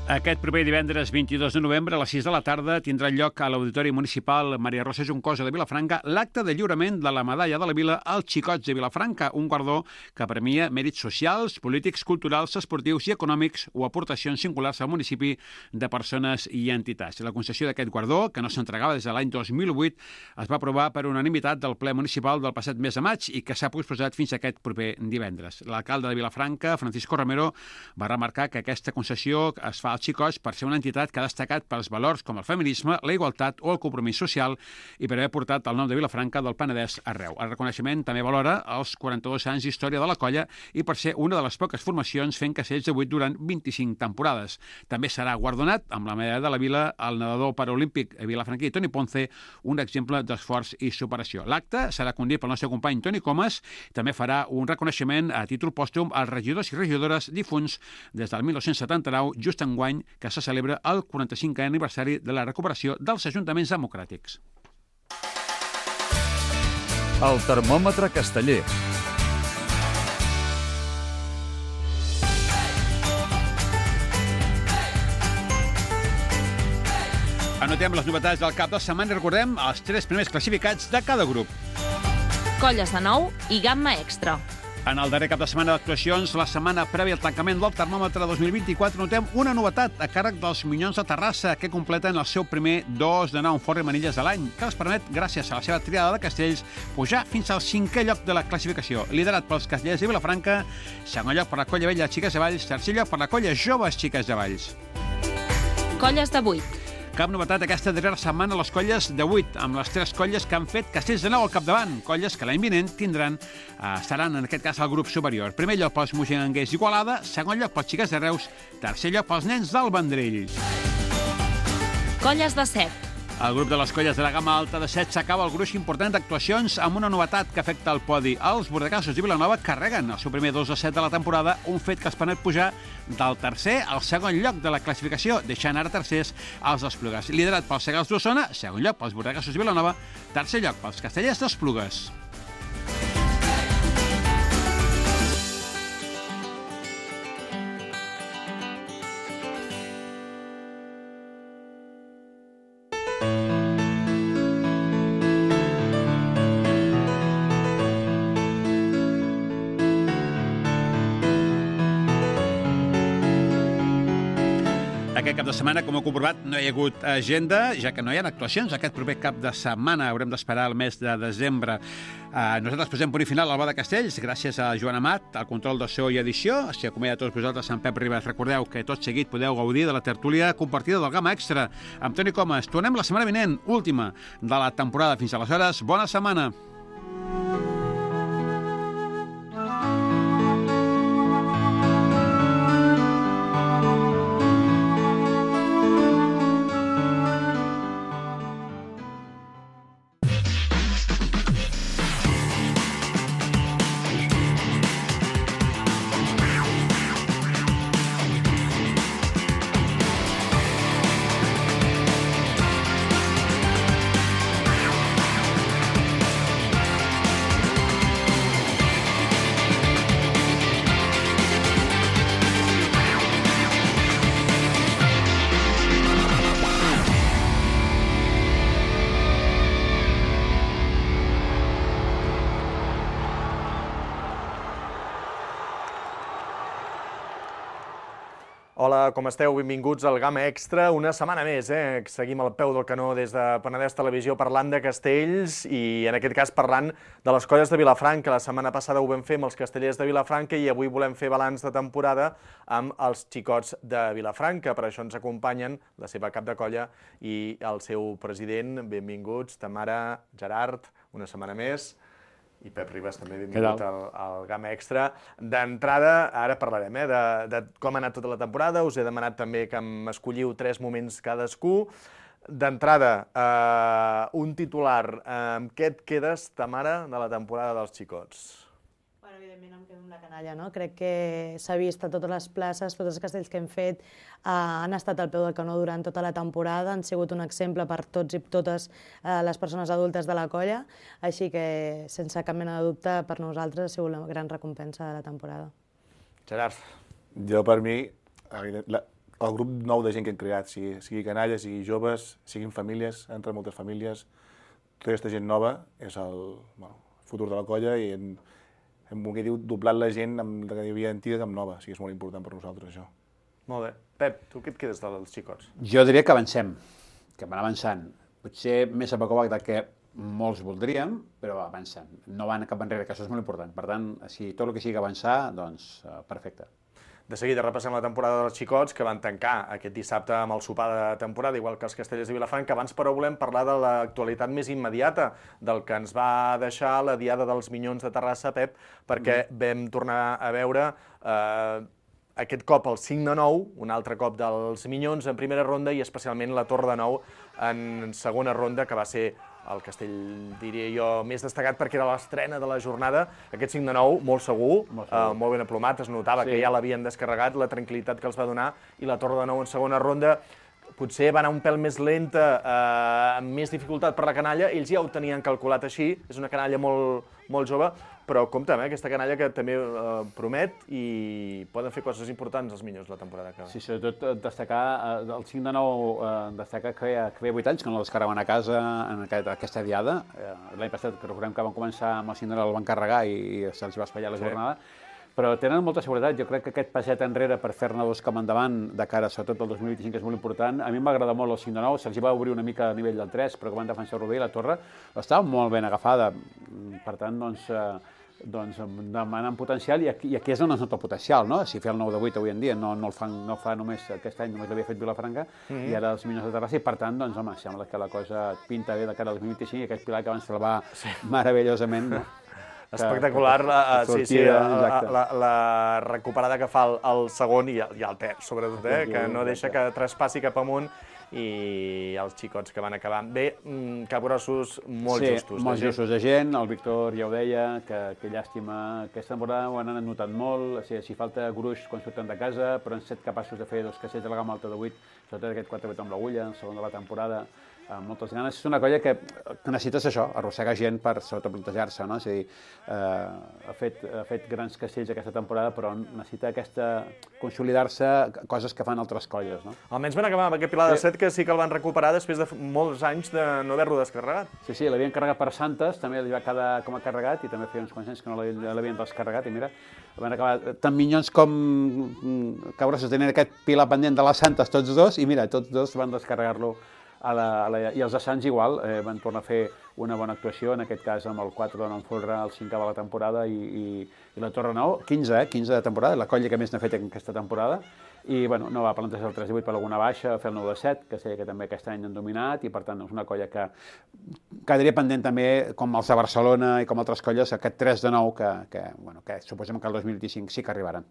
Speaker 1: Aquest proper divendres 22 de novembre a les 6 de la tarda tindrà lloc a l'Auditori Municipal Maria Rosa Juncosa de Vilafranca l'acte de lliurament de la Medalla de la Vila als Xicots de Vilafranca, un guardó que premia mèrits socials, polítics, culturals, esportius i econòmics o aportacions singulars al municipi de persones i entitats. La concessió d'aquest guardó, que no s'entregava des de l'any 2008, es va aprovar per unanimitat del ple municipal del passat mes de maig i que s'ha posposat fins a aquest proper divendres. L'alcalde de Vilafranca, Francisco Romero, va remarcar que aquesta concessió es fa als Xicots per ser una entitat que ha destacat pels valors com el feminisme, la igualtat o el compromís social i per haver portat el nom de Vilafranca del Penedès arreu. El reconeixement també valora els 42 anys d'història de la colla i per ser una de les poques formacions fent castells de 8 durant 25 temporades. També serà guardonat amb la medalla de la Vila el nedador paraolímpic vilafranquí Toni Ponce, un exemple d'esforç i superació. L'acte serà condit pel nostre company Toni Comas, també farà un reconeixement a títol pòstum als regidors i regidores difunts des del 1979, just enguany que se celebra el 45è aniversari de la recuperació dels ajuntaments democràtics.
Speaker 2: El termòmetre casteller.
Speaker 1: Anotem les novetats del cap de setmana i recordem els 3 primers classificats de cada grup.
Speaker 11: Colles de Nou i Gamma Extra.
Speaker 1: En el darrer cap de setmana d'actuacions, la setmana prèvia al tancament del termòmetre 2024, notem una novetat a càrrec dels Minyons de Terrassa, que completen el seu primer 2 de 9 forra i manilles de l'any, que els permet, gràcies a la seva triada de castells, pujar fins al 5è lloc de la classificació, liderat pels castellers de Vilafranca, segon lloc per la colla vella Xiques de Valls, tercer lloc per la colla joves Xiques de Valls.
Speaker 11: Colles de 8.
Speaker 1: Cap novetat aquesta darrera setmana a les colles de 8, amb les 3 colles que han fet castells de 9 al capdavant, colles que l'any vinent estaran en aquest cas al grup superior. Primer lloc pels moixanguers d'Igualada, segon lloc pels Xiques de Reus, tercer lloc pels nens del Vendrell.
Speaker 11: Colles de 7.
Speaker 1: El grup de les colles de la gamma alta de 7 s'acaba el gruix important d'actuacions amb una novetat que afecta el podi. Els bordegassos de Vilanova carreguen el seu primer 2 de 7 de la temporada, un fet que els permet pujar del tercer al segon lloc de la classificació, deixant ara tercers els Esplugues. Liderat pels Segals d'Osona, segon lloc pels bordegassos de Vilanova, tercer lloc pels castellers d'Esplugues. Aquest cap de setmana, com heu comprovat, no hi ha hagut agenda, ja que no hi ha actuacions. Aquest proper cap de setmana haurem d'esperar el mes de desembre. Nosaltres posem punt i final al Bo de Castells, gràcies a Joan Amat, al control de so i edició. S'hi acomiada a tots vosaltres, en Pep Ribas. Recordeu que tot seguit podeu gaudir de la tertúlia compartida del Gamma Extra amb Toni Comas. Tornem la setmana vinent, última de la temporada. Fins aleshores, bona setmana.
Speaker 4: Hola, com esteu? Benvinguts al Gamma Extra. Una setmana més, Seguim al peu del canó des de Penedès Televisió parlant de castells i, en aquest cas, parlant de les colles de Vilafranca. La setmana passada ho vam fer amb els castellers de Vilafranca i avui volem fer balanç de temporada amb els xicots de Vilafranca. Per això ens acompanyen la seva cap de colla i el seu president. Benvinguts, Tamara, Gerard, una setmana més. I Pep Ribas també, benvingut al Gamma Extra. D'entrada, ara parlarem de com ha anat tota la temporada, us he demanat també que m'escolliu 3 moments cadascú. D'entrada, un titular, amb què et quedes, Tamara, de la temporada dels xicots?
Speaker 12: Bueno, evidentment em quedo amb la canalla, no? Crec que s'ha vist a totes les places, tots els castells que hem fet han estat al peu del canó durant tota la temporada, han sigut un exemple per tots i totes les persones adultes de la colla, així que, sense cap mena de dubte, per nosaltres ha sigut la gran recompensa de la temporada.
Speaker 4: Gerard.
Speaker 13: Jo, per mi, el grup nou de gent que hem creat, sigui canalla, sigui joves, siguin famílies, entre moltes famílies, tota aquesta gent nova és el futur de la colla i hem doblat la gent que hi havia antiga amb nova, o sigui, és molt important per nosaltres, això.
Speaker 4: Molt bé. Pep, tu què et quedes dels xicots?
Speaker 1: Jo diria que avancem, que van avançant. Potser més a poc a poc del que molts voldríem, però avancen. No van cap enrere, que això és molt important. Per tant, si tot el que sigui avançar, doncs perfecte.
Speaker 4: De seguida repassem la temporada dels xicots, que van tancar aquest dissabte amb el sopar de temporada, igual que els castellers de Vilafranca. Abans, però, volem parlar de l'actualitat més immediata, del que ens va deixar la Diada dels Minyons de Terrassa, Pep, perquè vam tornar a veure aquest cop el 5 de 9, un altre cop dels Minyons en primera ronda i especialment la Torre de Nou en segona ronda, que va ser el castell, diria jo, més destacat perquè era l'estrena de la jornada. Aquest 5 de 9, molt segur, molt ben aplomat, es notava que ja l'havien descarregat, la tranquil·litat que els va donar, i la Torre de Nou en segona ronda potser va anar un pèl més lenta, amb més dificultat per la canalla, ells ja ho tenien calculat així, és una canalla molt jove, però compte, aquesta canalla que també promet i poden fer coses importants els Minyons la temporada que ve.
Speaker 1: Sí, sobretot destacar, el 5 de 9, destacar que feia 8 anys que no la descarregaven a casa en aquesta diada. L'any passat, que recordem que van començar amb el 5 de 9, el van carregar i se'ls va espatllar la jornada. Però tenen molta seguretat. Jo crec que aquest passet enrere per fer-ne 2 com endavant, de cara sobretot al 2025, és molt important. A mi m'agrada molt el 5 de 9, se'ls va obrir una mica a nivell del 3, però que van defensar el Rovell i la Torre estava molt ben agafada. Per tant, demanen potencial, i aquí és on es nota el potencial, no? Si fer el 9 de 8 avui en dia no el fa només aquest any, només l'havia fet Vilafranca, i ara els Minyons de Terrassa, i per tant, doncs, home, sembla que la cosa pinta bé de cara al 2025, i aquest pilar que van salvar meravellosament, no?
Speaker 4: Espectacular, la recuperada que fa el segon i el terç, sobretot, que no deixa que traspassi cap amunt, i els xicots que van acabar bé, capgrossos molt justos.
Speaker 1: Sí, molt justos de gent, el Víctor ja ho deia, que llàstima, aquesta temporada ho han notat molt, si falta gruix quan surten de casa, però han estat capaços de fer 2 castells de la gamma alta de 8, sobretot aquest 4-8 amb l'agulla, el segon de la temporada, amb moltes ganes. És una colla que necessites això, arrossegar gent per sobreplantejar-se, no? És a dir, ha fet grans castells aquesta temporada, però necessita consolidar-se coses que fan altres colles, no?
Speaker 4: Almenys van acabar amb aquest Pilar de Set, que sí que el van recuperar després de molts anys de no haver-lo descarregat.
Speaker 1: Sí, l'havien carregat per Santes, també li va quedar com a carregat, i també feia uns quants anys que no l'havien descarregat, i mira, van acabar tan minyons com cabres tenien aquest Pilar pendent de les Santes, tots dos, i mira, tots dos van descarregar-lo i els de Sants igual, van tornar a fer una bona actuació, en aquest cas amb el 4 de Folre, el 5 de la temporada, i la Torre Nou, 15 de temporada, la colla que més n'ha fet en aquesta temporada, i bueno, no va plantejar el 3 de 8 per alguna baixa, fer el 9 de 7, que sé que també aquest any han dominat, i per tant és una colla que quedaria pendent també, com els de Barcelona i com altres colles, aquest 3 de 9 que suposem que el 2025 sí que arribaran.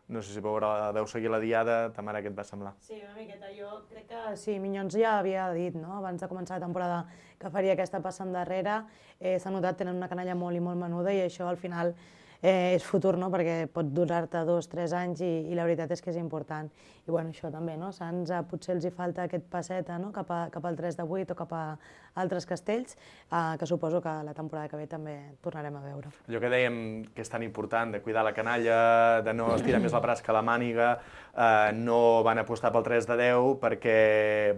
Speaker 4: No sé si deu seguir la diada, Tamara, què et va semblar?
Speaker 12: Sí, una miqueta. Jo crec que sí, Minyons ja havia dit, no?, abans de començar la temporada, que faria aquesta passa endarrere. S'ha notat, tenen una canalla molt i molt menuda, i això al final és futur, no?, perquè pot durar-te 2 o 3 anys, i la veritat és que és important. I bueno, això també, no?, Sants potser els hi falta aquest passeta, no?, cap al 3 de 8 o cap a altres castells, que suposo que la temporada que ve també tornarem a veure.
Speaker 4: Allò que dèiem que és tan important, de cuidar la canalla, de no estirar més la braç que la màniga, no van apostar pel 3 de 10 perquè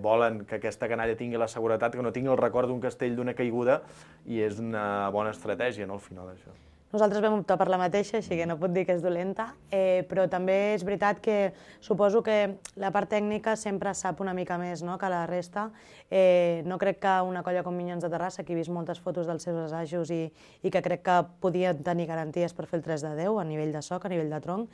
Speaker 4: volen que aquesta canalla tingui la seguretat, que no tingui el record d'un castell d'una caiguda, i és una bona estratègia, no?, al final, això.
Speaker 12: Nosaltres vam optar per la mateixa, així que no puc dir que és dolenta, però també és veritat que suposo que la part tècnica sempre sap una mica més, no?, que la resta. No crec que una colla com Minyons de Terrassa, que he vist moltes fotos dels seus assajos i que crec que podien tenir garanties per fer el 3 de 10 a nivell de soc, a nivell de tronc,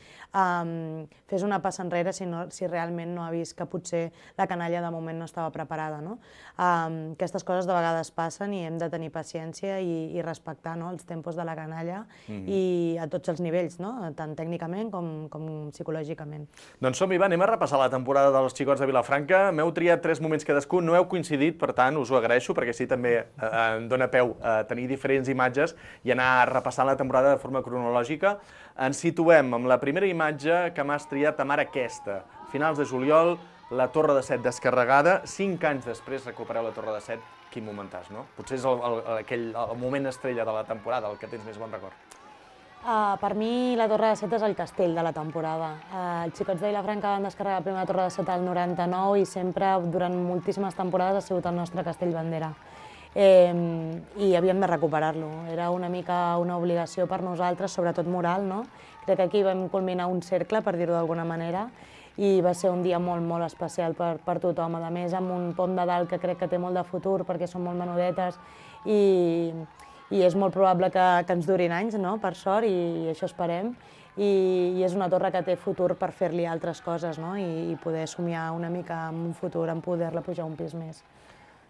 Speaker 12: fes una passa enrere si realment no ha vist que potser la canalla de moment no estava preparada, no? Aquestes coses de vegades passen i hem de tenir paciència i respectar, no?, els tempos de la canalla, i a tots els nivells, no?, tant tècnicament com psicològicament.
Speaker 4: Doncs som-hi, va, anem a repassar la temporada dels xicots de Vilafranca. M'heu triat 3 moments cadascun, no heu coincidit, per tant, us ho agraeixo, perquè així també em dóna peu a tenir diferents imatges i anar repassant la temporada de forma cronològica. Ens situem amb la primera imatge que m'has triat, Tamara, aquesta. Finals de juliol, la Torre de Set descarregada, 5 anys després recupereu la Torre de Set. Quin momentàs, no? Potser és el moment estrella de la temporada, el que tens més bon record.
Speaker 12: Per mi, la Torre de Set és el castell de la temporada. Els xicots de Vilafranca van descarregar la primera Torre de Set al 99 i sempre, durant moltíssimes temporades, ha sigut el nostre castell bandera. I havíem de recuperar-lo. Era una mica una obligació per nosaltres, sobretot moral, no? Crec que aquí vam culminar un cercle, per dir-ho d'alguna manera, i va ser un dia molt, molt especial per tothom. A més, amb un pont de dalt que crec que té molt de futur, perquè són molt menudetes, i és molt probable que ens durin anys, no?, per sort, i això esperem. I és una torre que té futur per fer-li altres coses, no?, i poder somiar una mica en un futur, en poder-la pujar un pis més.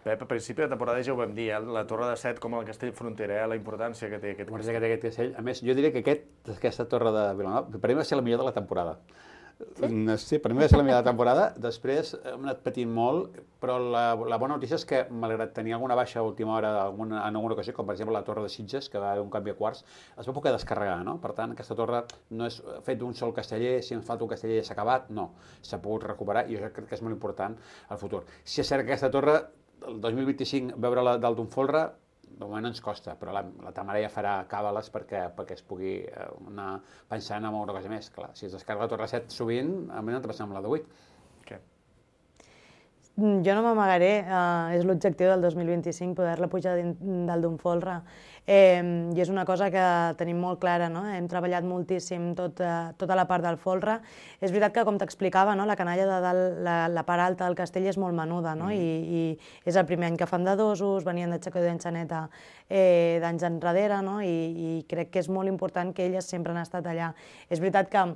Speaker 4: Pep, a principi de temporada ja ho vam dir, la Torre de Set com el castell fronterer, la importància que té aquest castell.
Speaker 1: A més, jo diria que aquesta torre de Vilanova, per mi va ser la millor de la temporada. Sí, per mi va ser la millor de la temporada. Després hem anat patint molt, però la bona notícia és que, malgrat tenir alguna baixa a última hora en alguna ocasió, com per exemple la Torre de Sitges, que va haver un canvi a quarts, es va poder descarregar, no? Per tant, aquesta torre no és fet d'un sol casteller, si ens falta un casteller ja s'ha acabat, no. S'ha pogut recuperar i jo crec que és molt important al futur. Si és cert que aquesta torre, el 2025, veure-la dalt d'un folre, de moment ens costa, però la Tamara ja farà càbales perquè es pugui anar pensant en alguna cosa més. Clar, si es descarga la Torre 7 sovint, a mi no t'ha passat amb la de 8.
Speaker 4: Què?
Speaker 12: Jo no m'amagaré, és l'objectiu del 2025, poder-la pujar dalt d'un folre. I és una cosa que tenim molt clara, no? Hem treballat moltíssim tota la part del folre. És veritat que, com t'explicava, no?, la canalla de dalt, la part alta del castell és molt menuda, no? I és el primer any que fan de dosos, venien de Xacó i d'Enxaneta d'anys enrere, no? I crec que és molt important que elles sempre han estat allà. És veritat que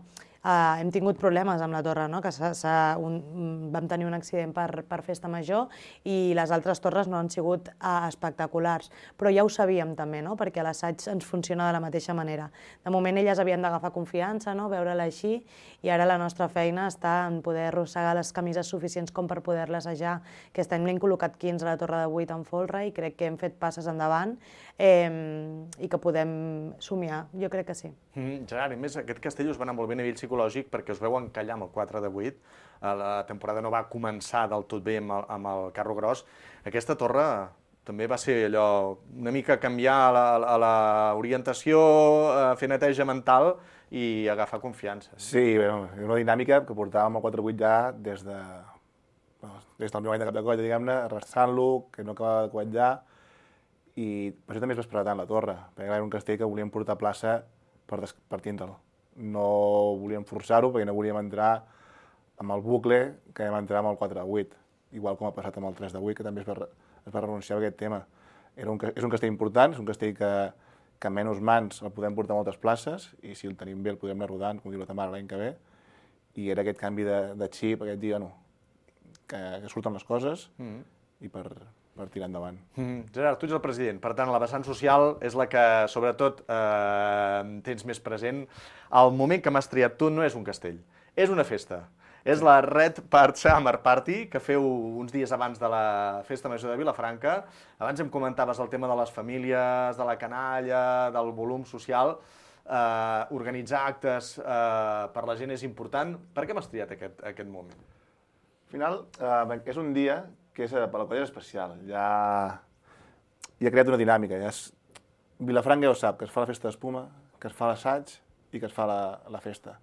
Speaker 12: hem tingut problemes amb la torre, no?, que vam tenir un accident per festa major i les altres torres no han sigut espectaculars, però ja ho sabíem també, no?, perquè l'assaig ens funciona de la mateixa manera. De moment elles havien d'agafar confiança, no?, veure-la així, i ara la nostra feina està en poder arrossegar les camises suficients com per poder-la assajar. Aquest any n'hem col·locat 15 a la Torre de 8 en folre i crec que hem fet passes endavant i que podem somiar, jo crec que sí.
Speaker 4: Gerard, a més, aquest castell us va anar molt bé a nivell psicològic
Speaker 14: psicològic perquè us veu encallar amb el 4 de 8. La temporada no va començar del tot bé amb el carro gros. Aquesta torre també va ser allò, una mica canviar l'orientació, fer neteja mental i agafar confiança.
Speaker 13: Sí, era una dinàmica que portàvem el 4-8 ja des del meu any de cap de colla, diguem-ne, arrastrant-lo, que no acabava de quallar, i per això també es va esperar tant la torre, perquè era un castell que volíem portar a plaça per tindre'l. No volíem forçar-ho perquè no volíem entrar amb el bucle que vam entrar amb el 4-8, igual com ha passat amb el 3-8, que també es va renunciar a aquest tema. És un castell important, és un castell que amb menys mans el podem portar a moltes places i si el tenim bé el podem anar rodant, com diu la Tamara, l'any que ve. I era aquest canvi de xip, aquest dia, que surten les coses i per tirar endavant.
Speaker 14: Gerard, tu ets el president, per tant, la vessant social és la que, sobretot, tens més present. El moment que m'has triat tu no és un castell, és una festa. És la Red Part Summer Party, que feu uns dies abans de la Festa Major de Vilafranca. Abans em comentaves el tema de les famílies, de la canalla, del volum social. Organitzar actes per la gent és important. Per què m'has triat aquest moment?
Speaker 13: Al final, és un dia que per la colla és especial. Ja ha creat una dinàmica. Vilafranca ja ho sap, que es fa la festa d'espuma, que es fa l'assaig i que es fa la festa.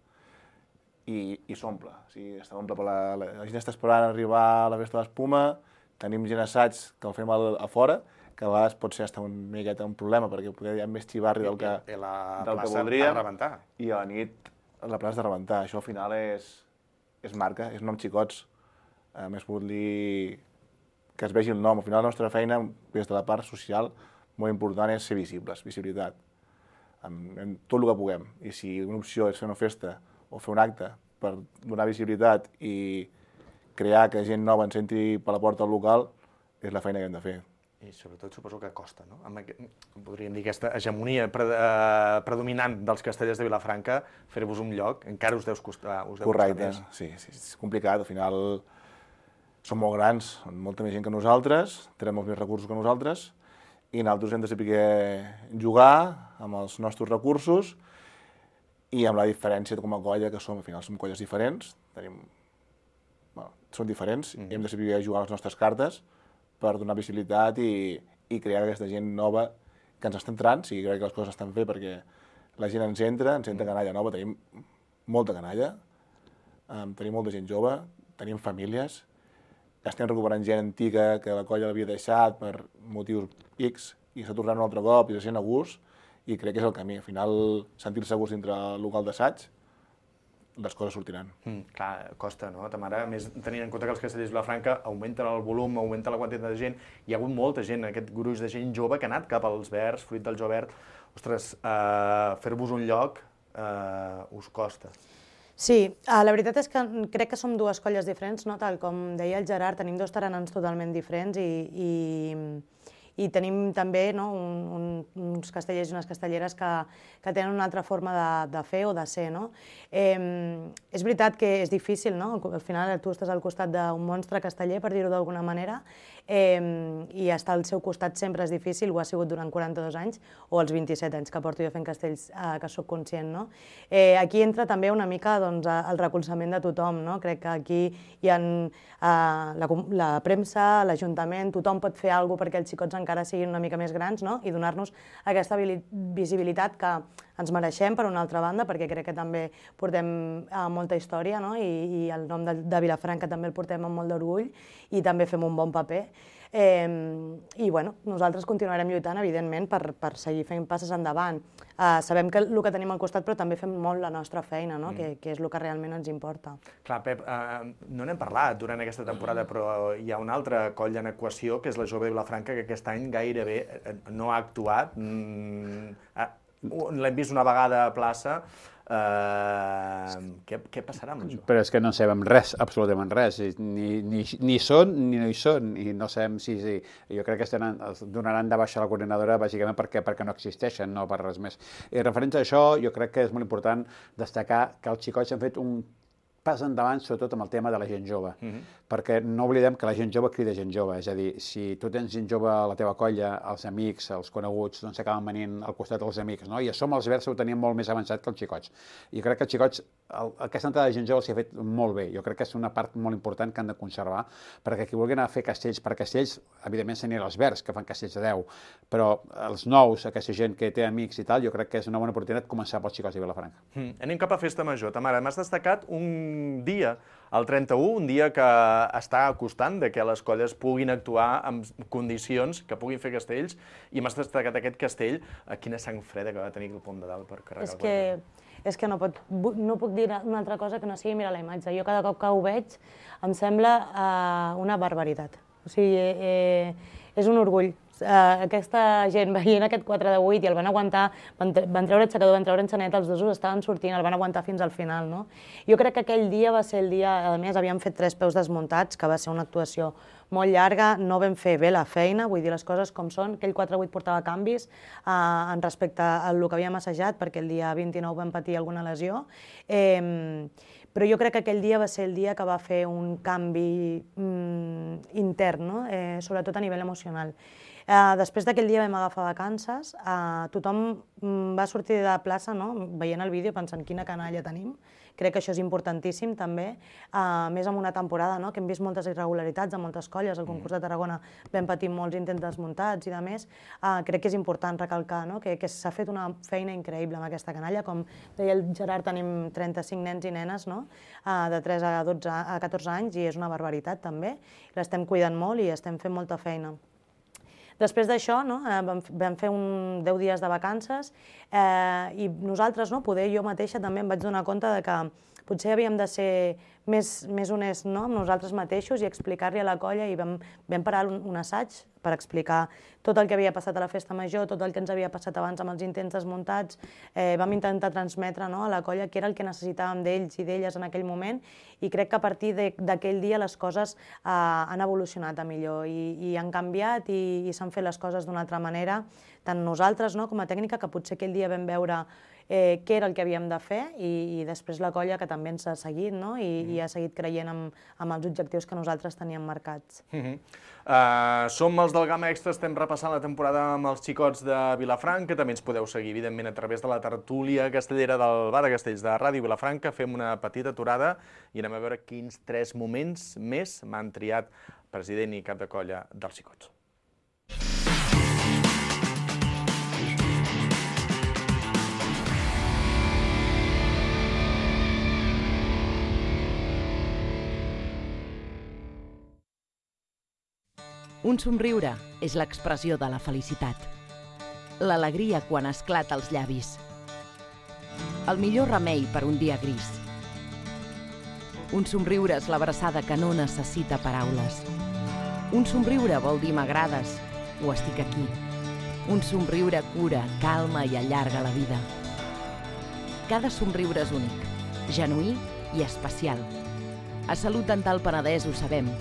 Speaker 13: I s'omple. La gent està esperant arribar a la festa d'espuma, tenim gent assaig que el fem a fora, que a vegades pot ser una miqueta un problema, perquè hi ha més xivarri del que voldríem. I a la nit la plaça de rebentar. Això al final és marca, és nom xicots. A més, vull dir que es vegi el nom. Al final la nostra feina, des de la part social, molt important és ser visibles, visibilitat. En tot el que puguem. I si una opció és fer una festa o fer un acte per donar visibilitat i crear que gent nova ens entri per la porta del local, és la feina que hem de fer.
Speaker 14: I sobretot suposo que costa, no? Podríem dir aquesta hegemonia predominant dels castellers de Vilafranca, fer-vos un lloc, encara us deu costar més.
Speaker 13: Correcte, sí, és complicat. Al final són molt grans, són molta més gent que nosaltres, tenen molts més recursos que nosaltres, i nosaltres hem de saber jugar amb els nostres recursos i amb la diferència com a colla que som. Al final som colles diferents, són diferents, i hem de saber jugar les nostres cartes per donar visibilitat i crear aquesta gent nova que ens està entrant. Sí, crec que les coses estan bé perquè la gent ens entra canalla nova, tenim molta canalla, tenim molta gent jove, tenim famílies, estem recuperant gent antiga que la colla l'havia deixat per motius X i s'ha tornat un altre cop i se sent a gust, i crec que és el camí. Al final, sentir-se a gust dintre el local d'assaig, les coses sortiran.
Speaker 14: Clar, costa, no, Tamara? A més, tenint en compte que els castellers de Vilafranca augmenten el volum, augmenta la quantitat de gent, hi ha hagut molta gent, aquest gruix de gent jove que ha anat cap als verds, fruit del jo verd. Ostres, fer-vos un lloc us costa.
Speaker 12: Sí, la veritat és que crec que som dues colles diferents, no? Tal com deia el Gerard, tenim dos taranans totalment diferents i tenim també uns castellers i unes castelleres que tenen una altra forma de fer o de ser. És veritat que és difícil, al final tu estàs al costat d'un monstre casteller, per dir-ho d'alguna manera, i estar al seu costat sempre és difícil, ho ha sigut durant 42 anys o els 27 anys que porto jo fent castells, que soc conscient. Aquí entra també una mica el recolzament de tothom. Crec que aquí hi ha la premsa, l'Ajuntament, tothom pot fer alguna cosa perquè els xicots encara siguin una mica més grans i donar-nos aquesta visibilitat que ens mereixem, per una altra banda, perquè crec que també portem molta història i el nom de Vilafranca també el portem amb molt d'orgull i també fem un bon paper. I nosaltres continuarem lluitant, evidentment, per seguir fent passes endavant. Sabem el que tenim al costat, però també fem molt la nostra feina, que és el que realment ens importa.
Speaker 14: Clar, Pep, no n'hem parlat durant aquesta temporada, però hi ha una altra colla en equació, que és la Jove de Vilafranca, que aquest any gairebé no ha actuat. L'hem vist una vegada a plaça. Què passarà amb això?
Speaker 1: Però és que no sabem res, absolutament res. Ni són ni no hi són. I no sabem si... Jo crec que es donaran de baixa la coordinadora bàsicament perquè no existeixen, no per res més. I referent a això, jo crec que és molt important destacar que els xicots han fet un pas endavant, sobretot amb el tema de la gent jove, perquè no oblidem que la gent jove crida gent jove, és a dir, si tu tens gent jove a la teva colla, els amics, els coneguts, doncs s'acaben venint al costat dels amics, no? I a som els Versa ho teníem molt més avançat que els xicots. I crec que els xicots, aquesta entrada de gent jove s'hi ha fet molt bé. Jo crec que és una part molt important que han de conservar, perquè qui vulguin anar a fer castells per castells, evidentment s'anirà als Verds, que fan castells de 10, però els nous, aquesta gent que té amics i tal, jo crec que és una bona oportunitat començar pels xicots de Vilafranca.
Speaker 14: Anem cap a Festa Major. Tamara, m'has destacat un dia, el 31, un dia que està acostant de que les colles puguin actuar en condicions que puguin fer castells, i m'has destacat aquest castell. Quina sang freda que va tenir el Pont de Dalt per carregar el cotxe.
Speaker 12: És que no puc dir una altra cosa que no sigui mirar la imatge. Jo cada cop que ho veig em sembla una barbaritat. O sigui, és un orgull. Aquesta gent veient aquest 4 de 8 i el van aguantar, van treure aixecador, van treure enxaneta, els dosos estaven sortint, el van aguantar fins al final, no? Jo crec que aquell dia va ser el dia, a més havíem fet 3 peus desmuntats, que va ser una actuació molt llarga, no vam fer bé la feina, vull dir les coses com són, aquell 4-8 portava canvis en respecte al que havíem assajat, perquè el dia 29 vam patir alguna lesió, però jo crec que aquell dia va ser el dia que va fer un canvi intern, no? Sobretot a nivell emocional. Després d'aquell dia vam agafar vacances, tothom va sortir de la plaça veient el vídeo pensant quina canalla tenim. Crec que això és importantíssim també, més en una temporada que hem vist moltes irregularitats a moltes colles, al concurs de Tarragona vam patir molts intents desmuntats i de més. Crec que és important recalcar que s'ha fet una feina increïble amb aquesta canalla. Com deia el Gerard, tenim 35 nens i nenes de 3 a 14 anys i és una barbaritat també. L'estem cuidant molt i estem fent molta feina. Després d'això vam fer 10 dies de vacances i nosaltres, poder jo mateixa també em vaig donar compte que potser havíem de ser més honests amb nosaltres mateixos i explicar-li a la colla, i vam parar un assaig per explicar tot el que havia passat a la Festa Major, tot el que ens havia passat abans amb els intents desmuntats. Vam intentar transmetre a la colla què era el que necessitàvem d'ells i d'elles en aquell moment, i crec que a partir d'aquell dia les coses han evolucionat a millor i han canviat i s'han fet les coses d'una altra manera, tant nosaltres com a tècnica, que potser aquell dia vam veure què era el que havíem de fer, i després la colla, que també ens ha seguit i ha seguit creient en els objectius que nosaltres teníem marcats.
Speaker 14: Som els del Gamma Extra, estem repassant la temporada amb els xicots de Vilafranca, també ens podeu seguir, evidentment, a través de la tertúlia castellera del Bar de Castells de Ràdio Vilafranca. Fem una petita aturada i anem a veure quins 3 moments més m'han triat president i cap de colla dels xicots.
Speaker 15: Un somriure és l'expressió de la felicitat. L'alegria quan esclata als llavis. El millor remei per un dia gris. Un somriure és l'abraçada que no necessita paraules. Un somriure vol dir m'agrades o estic aquí. Un somriure cura, calma i allarga la vida. Cada somriure és únic, genuí i especial. A Salut Dental Penedès ho sabem,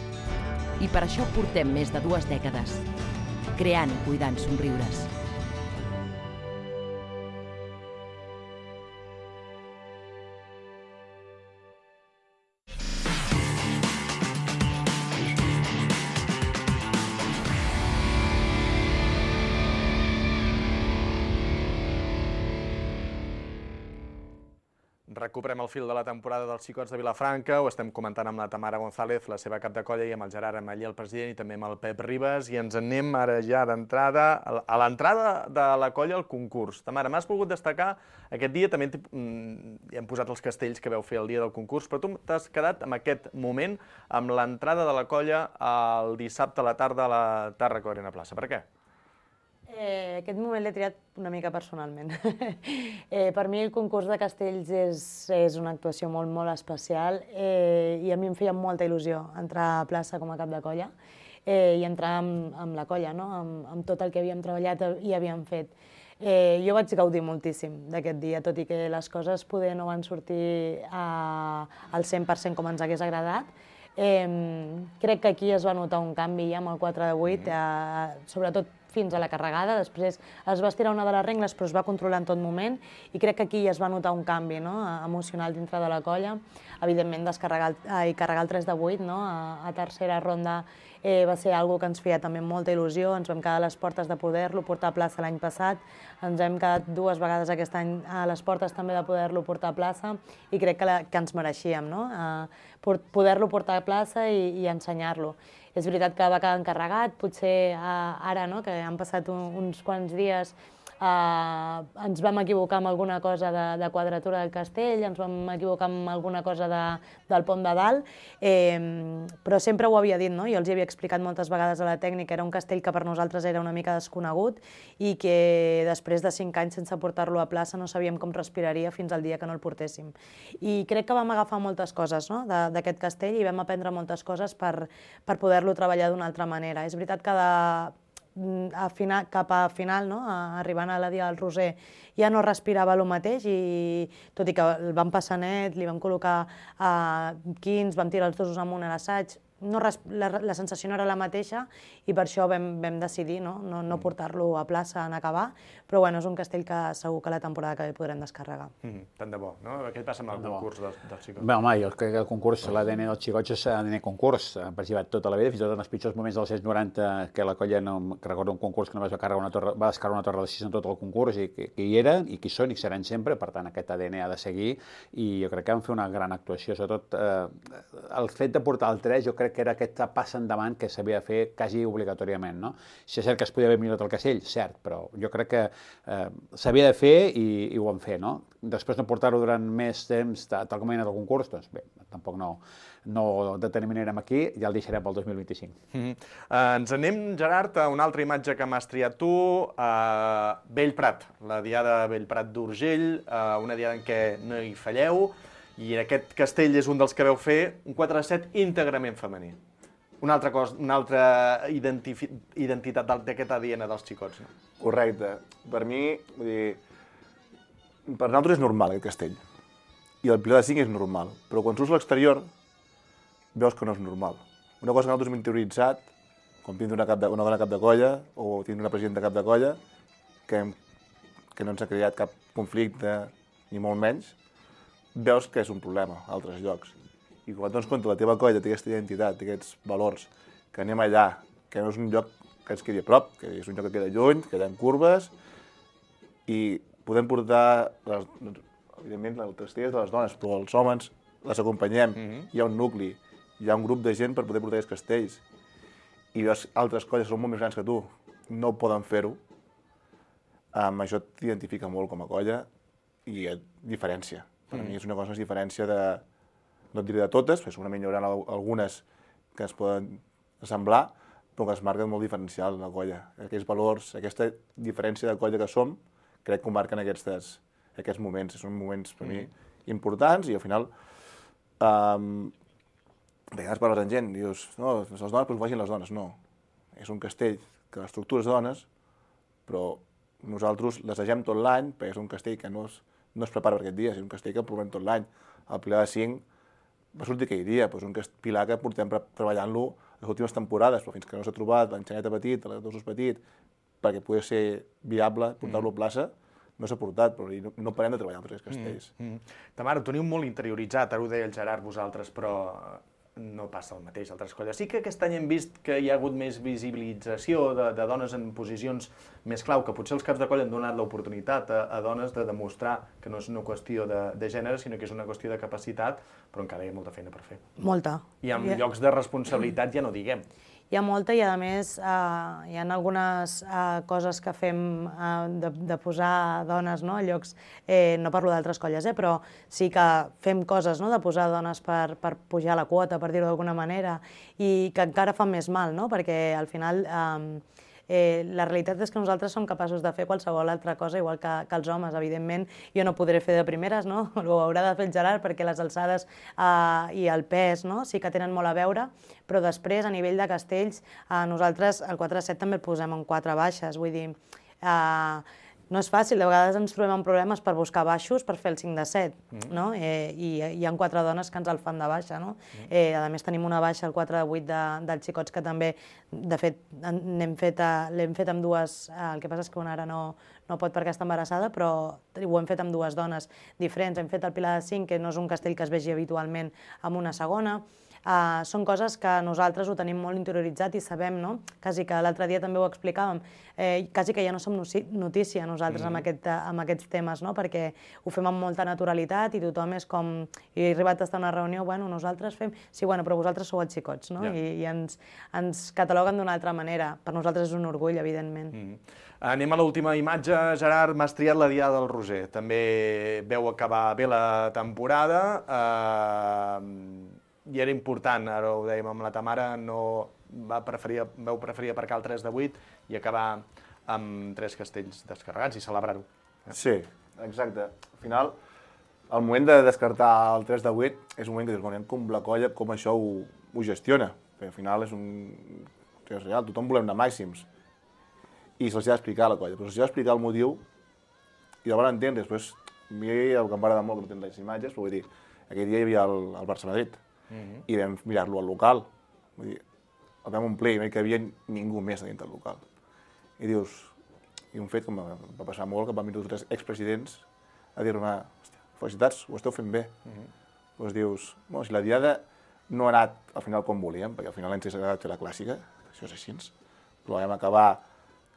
Speaker 15: i per això portem més de 2 dècades, creant i cuidant somriures.
Speaker 14: Recuperem el fil de la temporada dels xicots de Vilafranca, ho estem comentant amb la Tamara González, la seva cap de colla, i amb el Gerard Ametller, el president, i també amb el Pep Ribas, i ens anem ara ja d'entrada a l'entrada de la colla al concurs. Tamara, m'has volgut destacar aquest dia, també hem posat els castells que vau fer el dia del concurs, però tu t'has quedat amb aquest moment, amb l'entrada de la colla el dissabte a la tarda a la Tàrraco Arena Plaça. Per què?
Speaker 12: Aquest moment l'he triat una mica personalment. Per mi el concurs de castells és una actuació molt, molt especial i a mi em feia molta il·lusió entrar a plaça com a cap de colla i entrar amb la colla, amb tot el que havíem treballat i havíem fet. Jo vaig gaudir moltíssim d'aquest dia, tot i que les coses poder no van sortir al 100% com ens hagués agradat. Crec que aquí es va notar un canvi ja amb el 4 de 8, sobretot fins a la carregada, després es va estirar una de les rengles però es va controlar en tot moment i crec que aquí es va notar un canvi emocional dintre de la colla. Evidentment, carregar el 3 de 8 a tercera ronda va ser una cosa que ens feia també molta il·lusió, ens vam quedar a les portes de poder-lo portar a plaça l'any passat, ens hem quedat 2 vegades aquest any a les portes també de poder-lo portar a plaça i crec que ens mereixíem poder-lo portar a plaça i ensenyar-lo. És veritat que va quedar encarregat, potser ara que han passat uns quants dies ens vam equivocar amb alguna cosa de quadratura del castell, ens vam equivocar amb alguna cosa del pont de dalt, però sempre ho havia dit, jo els hi havia explicat moltes vegades a la tècnica, era un castell que per nosaltres era una mica desconegut i que després de 5 anys sense portar-lo a plaça no sabíem com respiraria fins al dia que no el portéssim. I crec que vam agafar moltes coses d'aquest castell i vam aprendre moltes coses per poder-lo treballar d'una altra manera. És veritat que cap a final, arribant a la Dia del Roser, ja no respirava el mateix i tot i que el vam passar net, li vam col·locar 15, vam tirar els dosos amunt a l'assaig, la sensació no era la mateixa i per això vam decidir no portar-lo a plaça en acabar, però bueno, és un castell que segur que la temporada que ve podrem descarregar.
Speaker 14: Tant de bo, no? Què passa amb el concurs dels xicots?
Speaker 1: Bé, home, jo crec que el concurs, l'ADN dels xicots és ADN concurs, ha participat tota la vida, fins i tot en els pitjors moments dels anys 90, que la colla, que recordo un concurs que només va descarregar una torre de 6 en tot el concurs i que hi eren, i que hi són i seran sempre, per tant aquest ADN ha de seguir i jo crec que van fer una gran actuació, sobretot el fet de portar el 3 jo crec que era aquest pas endavant que s'havia de fer quasi obligatoriament, no? Si és cert que es podia haver millorat el castell, cert, però jo crec que s'havia de fer i ho vam fer, no? Després no portar-ho durant més temps, tal com ha anat el concurs, doncs bé, tampoc no determinarem aquí, ja el deixarem pel 2025.
Speaker 14: Ens anem, Gerard, a una altra imatge que m'has triat tu, Bellprat, la diada Bellprat d'Urgell, una diada en què no hi falleu, i aquest castell és un dels que veu fer un 4-7 íntegrament femení. Una altra identitat d'aquest ADN dels xicots.
Speaker 13: Correcte. Per mi, vull dir, per nosaltres és normal aquest castell. I el pilar de 5 és normal. Però quan surts a l'exterior, veus que no és normal. Una cosa que nosaltres hem interioritzat, quan tinc una dona cap de colla o tinc una presidenta cap de colla, que no ens ha creat cap conflicte, ni molt menys, veus que és un problema a altres llocs. I quan dones compte la teva colla té aquesta identitat, té aquests valors, que anem allà, que no és un lloc que ens quedi a prop, que és un lloc que queda lluny, que hi ha curves, i podem portar, evidentment, el castell és de les dones, però els homes les acompanyem, hi ha un nucli, hi ha un grup de gent per poder portar aquests castells. I veus altres colles que són molt més grans que tu, no poden fer-ho, això t'identifica molt com a colla i et diferència. Per mi és una cosa que es diferència de, no et diré de totes, perquè segurament hi haurà algunes que es poden assemblar, però que es marquen molt diferencial la colla. Aquests valors, aquesta diferència de colla que som, crec que ho marquen aquests moments. Són moments per mi importants i al final a vegades parles amb gent, dius, no, les dones, doncs vagin les dones. No, és un castell que l'estructura és dones, però nosaltres les deixem tot l'any, perquè és un castell que no es prepara per aquest dia, és un castell que provem tot l'any. El pilar de 5 va sortir aquell dia, és un pilar que portem treballant-lo les últimes temporades, però fins que no s'ha trobat l'enxaneta petit, l'ossos petit, perquè pugui ser viable portar-lo a plaça, no s'ha portat, però no parem de treballar amb aquests castells.
Speaker 14: Tamara, ho teniu molt interioritzat, ara ho deia el Gerard vosaltres, però no passa el mateix a altres colles. Sí que aquest any hem vist que hi ha hagut més visibilització de dones en posicions més clau, que potser els caps de colla han donat l'oportunitat a dones de demostrar que no és una qüestió de gènere, sinó que és una qüestió de capacitat, però encara hi ha molta feina per fer.
Speaker 12: Molta.
Speaker 14: I en llocs de responsabilitat ja no diguem.
Speaker 12: Hi ha molta i, a més, hi ha algunes coses que fem de posar dones a llocs, no parlo d'altres colles, però sí que fem coses de posar dones per pujar la quota, per dir-ho d'alguna manera, i que encara fan més mal, perquè al final la realitat és que nosaltres som capaços de fer qualsevol altra cosa, igual que els homes. Evidentment, jo no podré fer de primeres, ho haurà de fer el Gerard, perquè les alçades i el pes sí que tenen molt a veure, però després, a nivell de castells, nosaltres el 4-7 també el posem en 4 baixes, vull dir, no és fàcil, de vegades ens trobem amb problemes per buscar baixos per fer el 5 de 7, no? I hi ha 4 dones que ens el fan de baixa, no? A més tenim una baixa, el 4 de 8 dels xicots, que també, de fet, l'hem fet amb dues, el que passa és que una ara no pot perquè està embarassada, però ho hem fet amb dues dones diferents. Hem fet el Pilar de 5, que no és un castell que es vegi habitualment, amb una segona. Són coses que nosaltres ho tenim molt interioritzat i sabem, no? Quasi que l'altre dia també ho explicàvem, quasi que ja no som notícia nosaltres amb aquests temes, no? Perquè ho fem amb molta naturalitat i tothom és com... I he arribat a estar en una reunió, bueno, nosaltres fem... Sí, bueno, però vosaltres sou els xicots, no? I ens cataloguen d'una altra manera. Per nosaltres és un orgull, evidentment.
Speaker 14: Anem a l'última imatge. Gerard, m'has triat la Diada del Roser. També veu acabar bé la temporada. I era important, ara ho dèiem amb la Tamara, vau preferir aparcar el 3 de 8 i acabar amb 3 castells descarregats i celebrar-ho.
Speaker 13: Sí, exacte. Al final, el moment de descartar el 3 de 8 és un moment que dius, bueno, com la colla, com això ho gestiona. Perquè al final és real, tothom volem anar màxims. I se'ls ha d'explicar a la colla, però se'ls ha d'explicar el motiu i el van entendre. Després, a mi el que em va agradar molt, que no tenen les imatges, però vull dir, aquell dia hi havia el Barça-Madrid. I vam mirar-lo al local. Vull dir, el vam omplir i no hi havia ningú més dintre del local. I dius, i un fet que em va passar molt, que van venir 3 expresidents a dir-me, felicitats, ho esteu fent bé. Doncs dius, bueno, si la Diada no ha anat al final com volíem, perquè al final ens ha agradat fer la clàssica, això és així, però vam acabar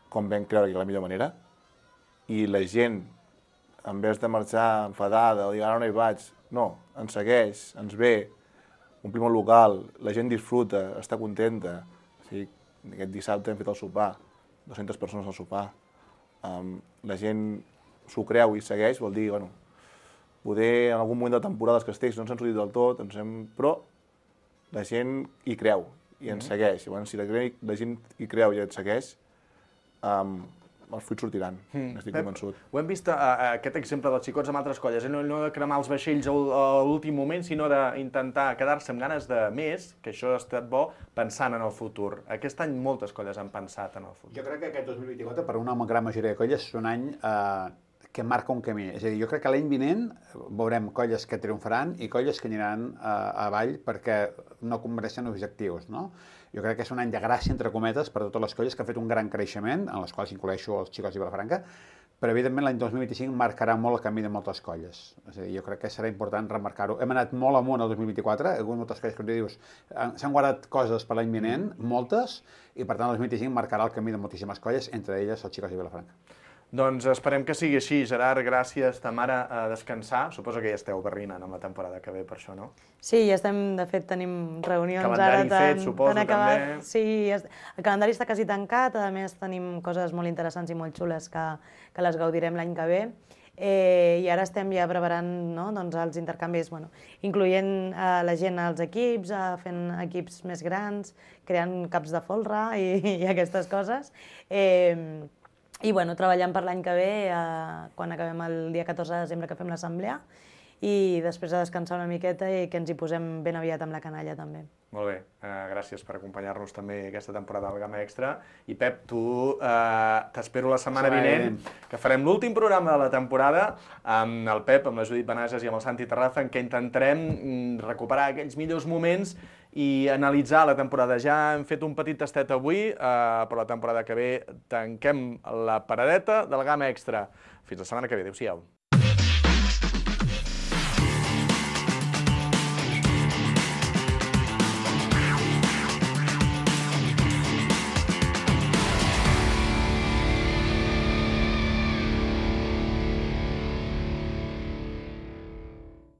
Speaker 13: com vam creure que era la millor manera, i la gent, en vez de marxar enfadada o dir, ara no hi vaig, no, ens segueix, ens ve, omplim el local, la gent disfruta, està contenta. Aquest dissabte hem fet el sopar, 200 persones al sopar. La gent s'ho creu i segueix, vol dir, bueno, poder en algun moment de la temporada els castells no ens han sortit del tot, però la gent hi creu i ens segueix. Llavors, si la gent hi creu i ens segueix, els fruits sortiran, n'estic convençut.
Speaker 14: Ho hem vist, aquest exemple dels xicots amb altres colles, no de cremar els vaixells a l'últim moment, sinó d'intentar quedar-se amb ganes de més, que això ha estat bo, pensant en el futur. Aquest any moltes colles han pensat en el futur.
Speaker 1: Jo crec que aquest 2024, per una gran majoria de colles, és un any que marca un camí. És a dir, jo crec que l'any vinent veurem colles que triomfaran i colles que aniran avall perquè no compleixen objectius, no? Jo crec que és un any de gràcia, entre cometes, per a totes les colles que han fet un gran creixement, en les quals incloeixo els xicots i Vilafranca, però evidentment l'any 2025 marcarà molt el camí de moltes colles. És a dir, jo crec que serà important remarcar-ho. Hem anat molt amunt el 2024, hi ha hagut moltes colles, com dius, s'han guardat coses per l'any vinent, moltes, i per tant el 2025 marcarà el camí de moltíssimes colles, entre elles els xicots i Vilafranca.
Speaker 14: Doncs esperem que sigui així. Gerard, gràcies. Tamara, a descansar. Suposo que ja esteu barrinant amb la temporada que ve per això, no?
Speaker 12: Sí, ja estem, de fet, tenim reunions
Speaker 14: calendari
Speaker 12: ara
Speaker 14: fet, suposo, també.
Speaker 12: Sí, el calendari està quasi tancat, a més tenim coses molt interessants i molt xules que les gaudirem l'any que ve. I ara estem ja preparant els intercanvis, incloent la gent als equips, fent equips més grans, creant caps de folre i aquestes coses. I treballant per l'any que ve, quan acabem el dia 14 de desembre que fem l'assemblea, i després de descansar una miqueta i que ens hi posem ben aviat amb la canalla també.
Speaker 14: Molt bé, gràcies per acompanyar-nos també aquesta temporada del Gamma Extra. I Pep, tu t'espero la setmana vinent, que farem l'últim programa de la temporada amb el Pep, amb la Judit Benages i amb el Santi Terraza, en què intentarem recuperar aquells millors moments i analitzar la temporada. Ja hem fet un petit tastet avui, però la temporada que ve tanquem la paradeta del Gamma Extra. Fins la setmana que ve. Adéu-siau.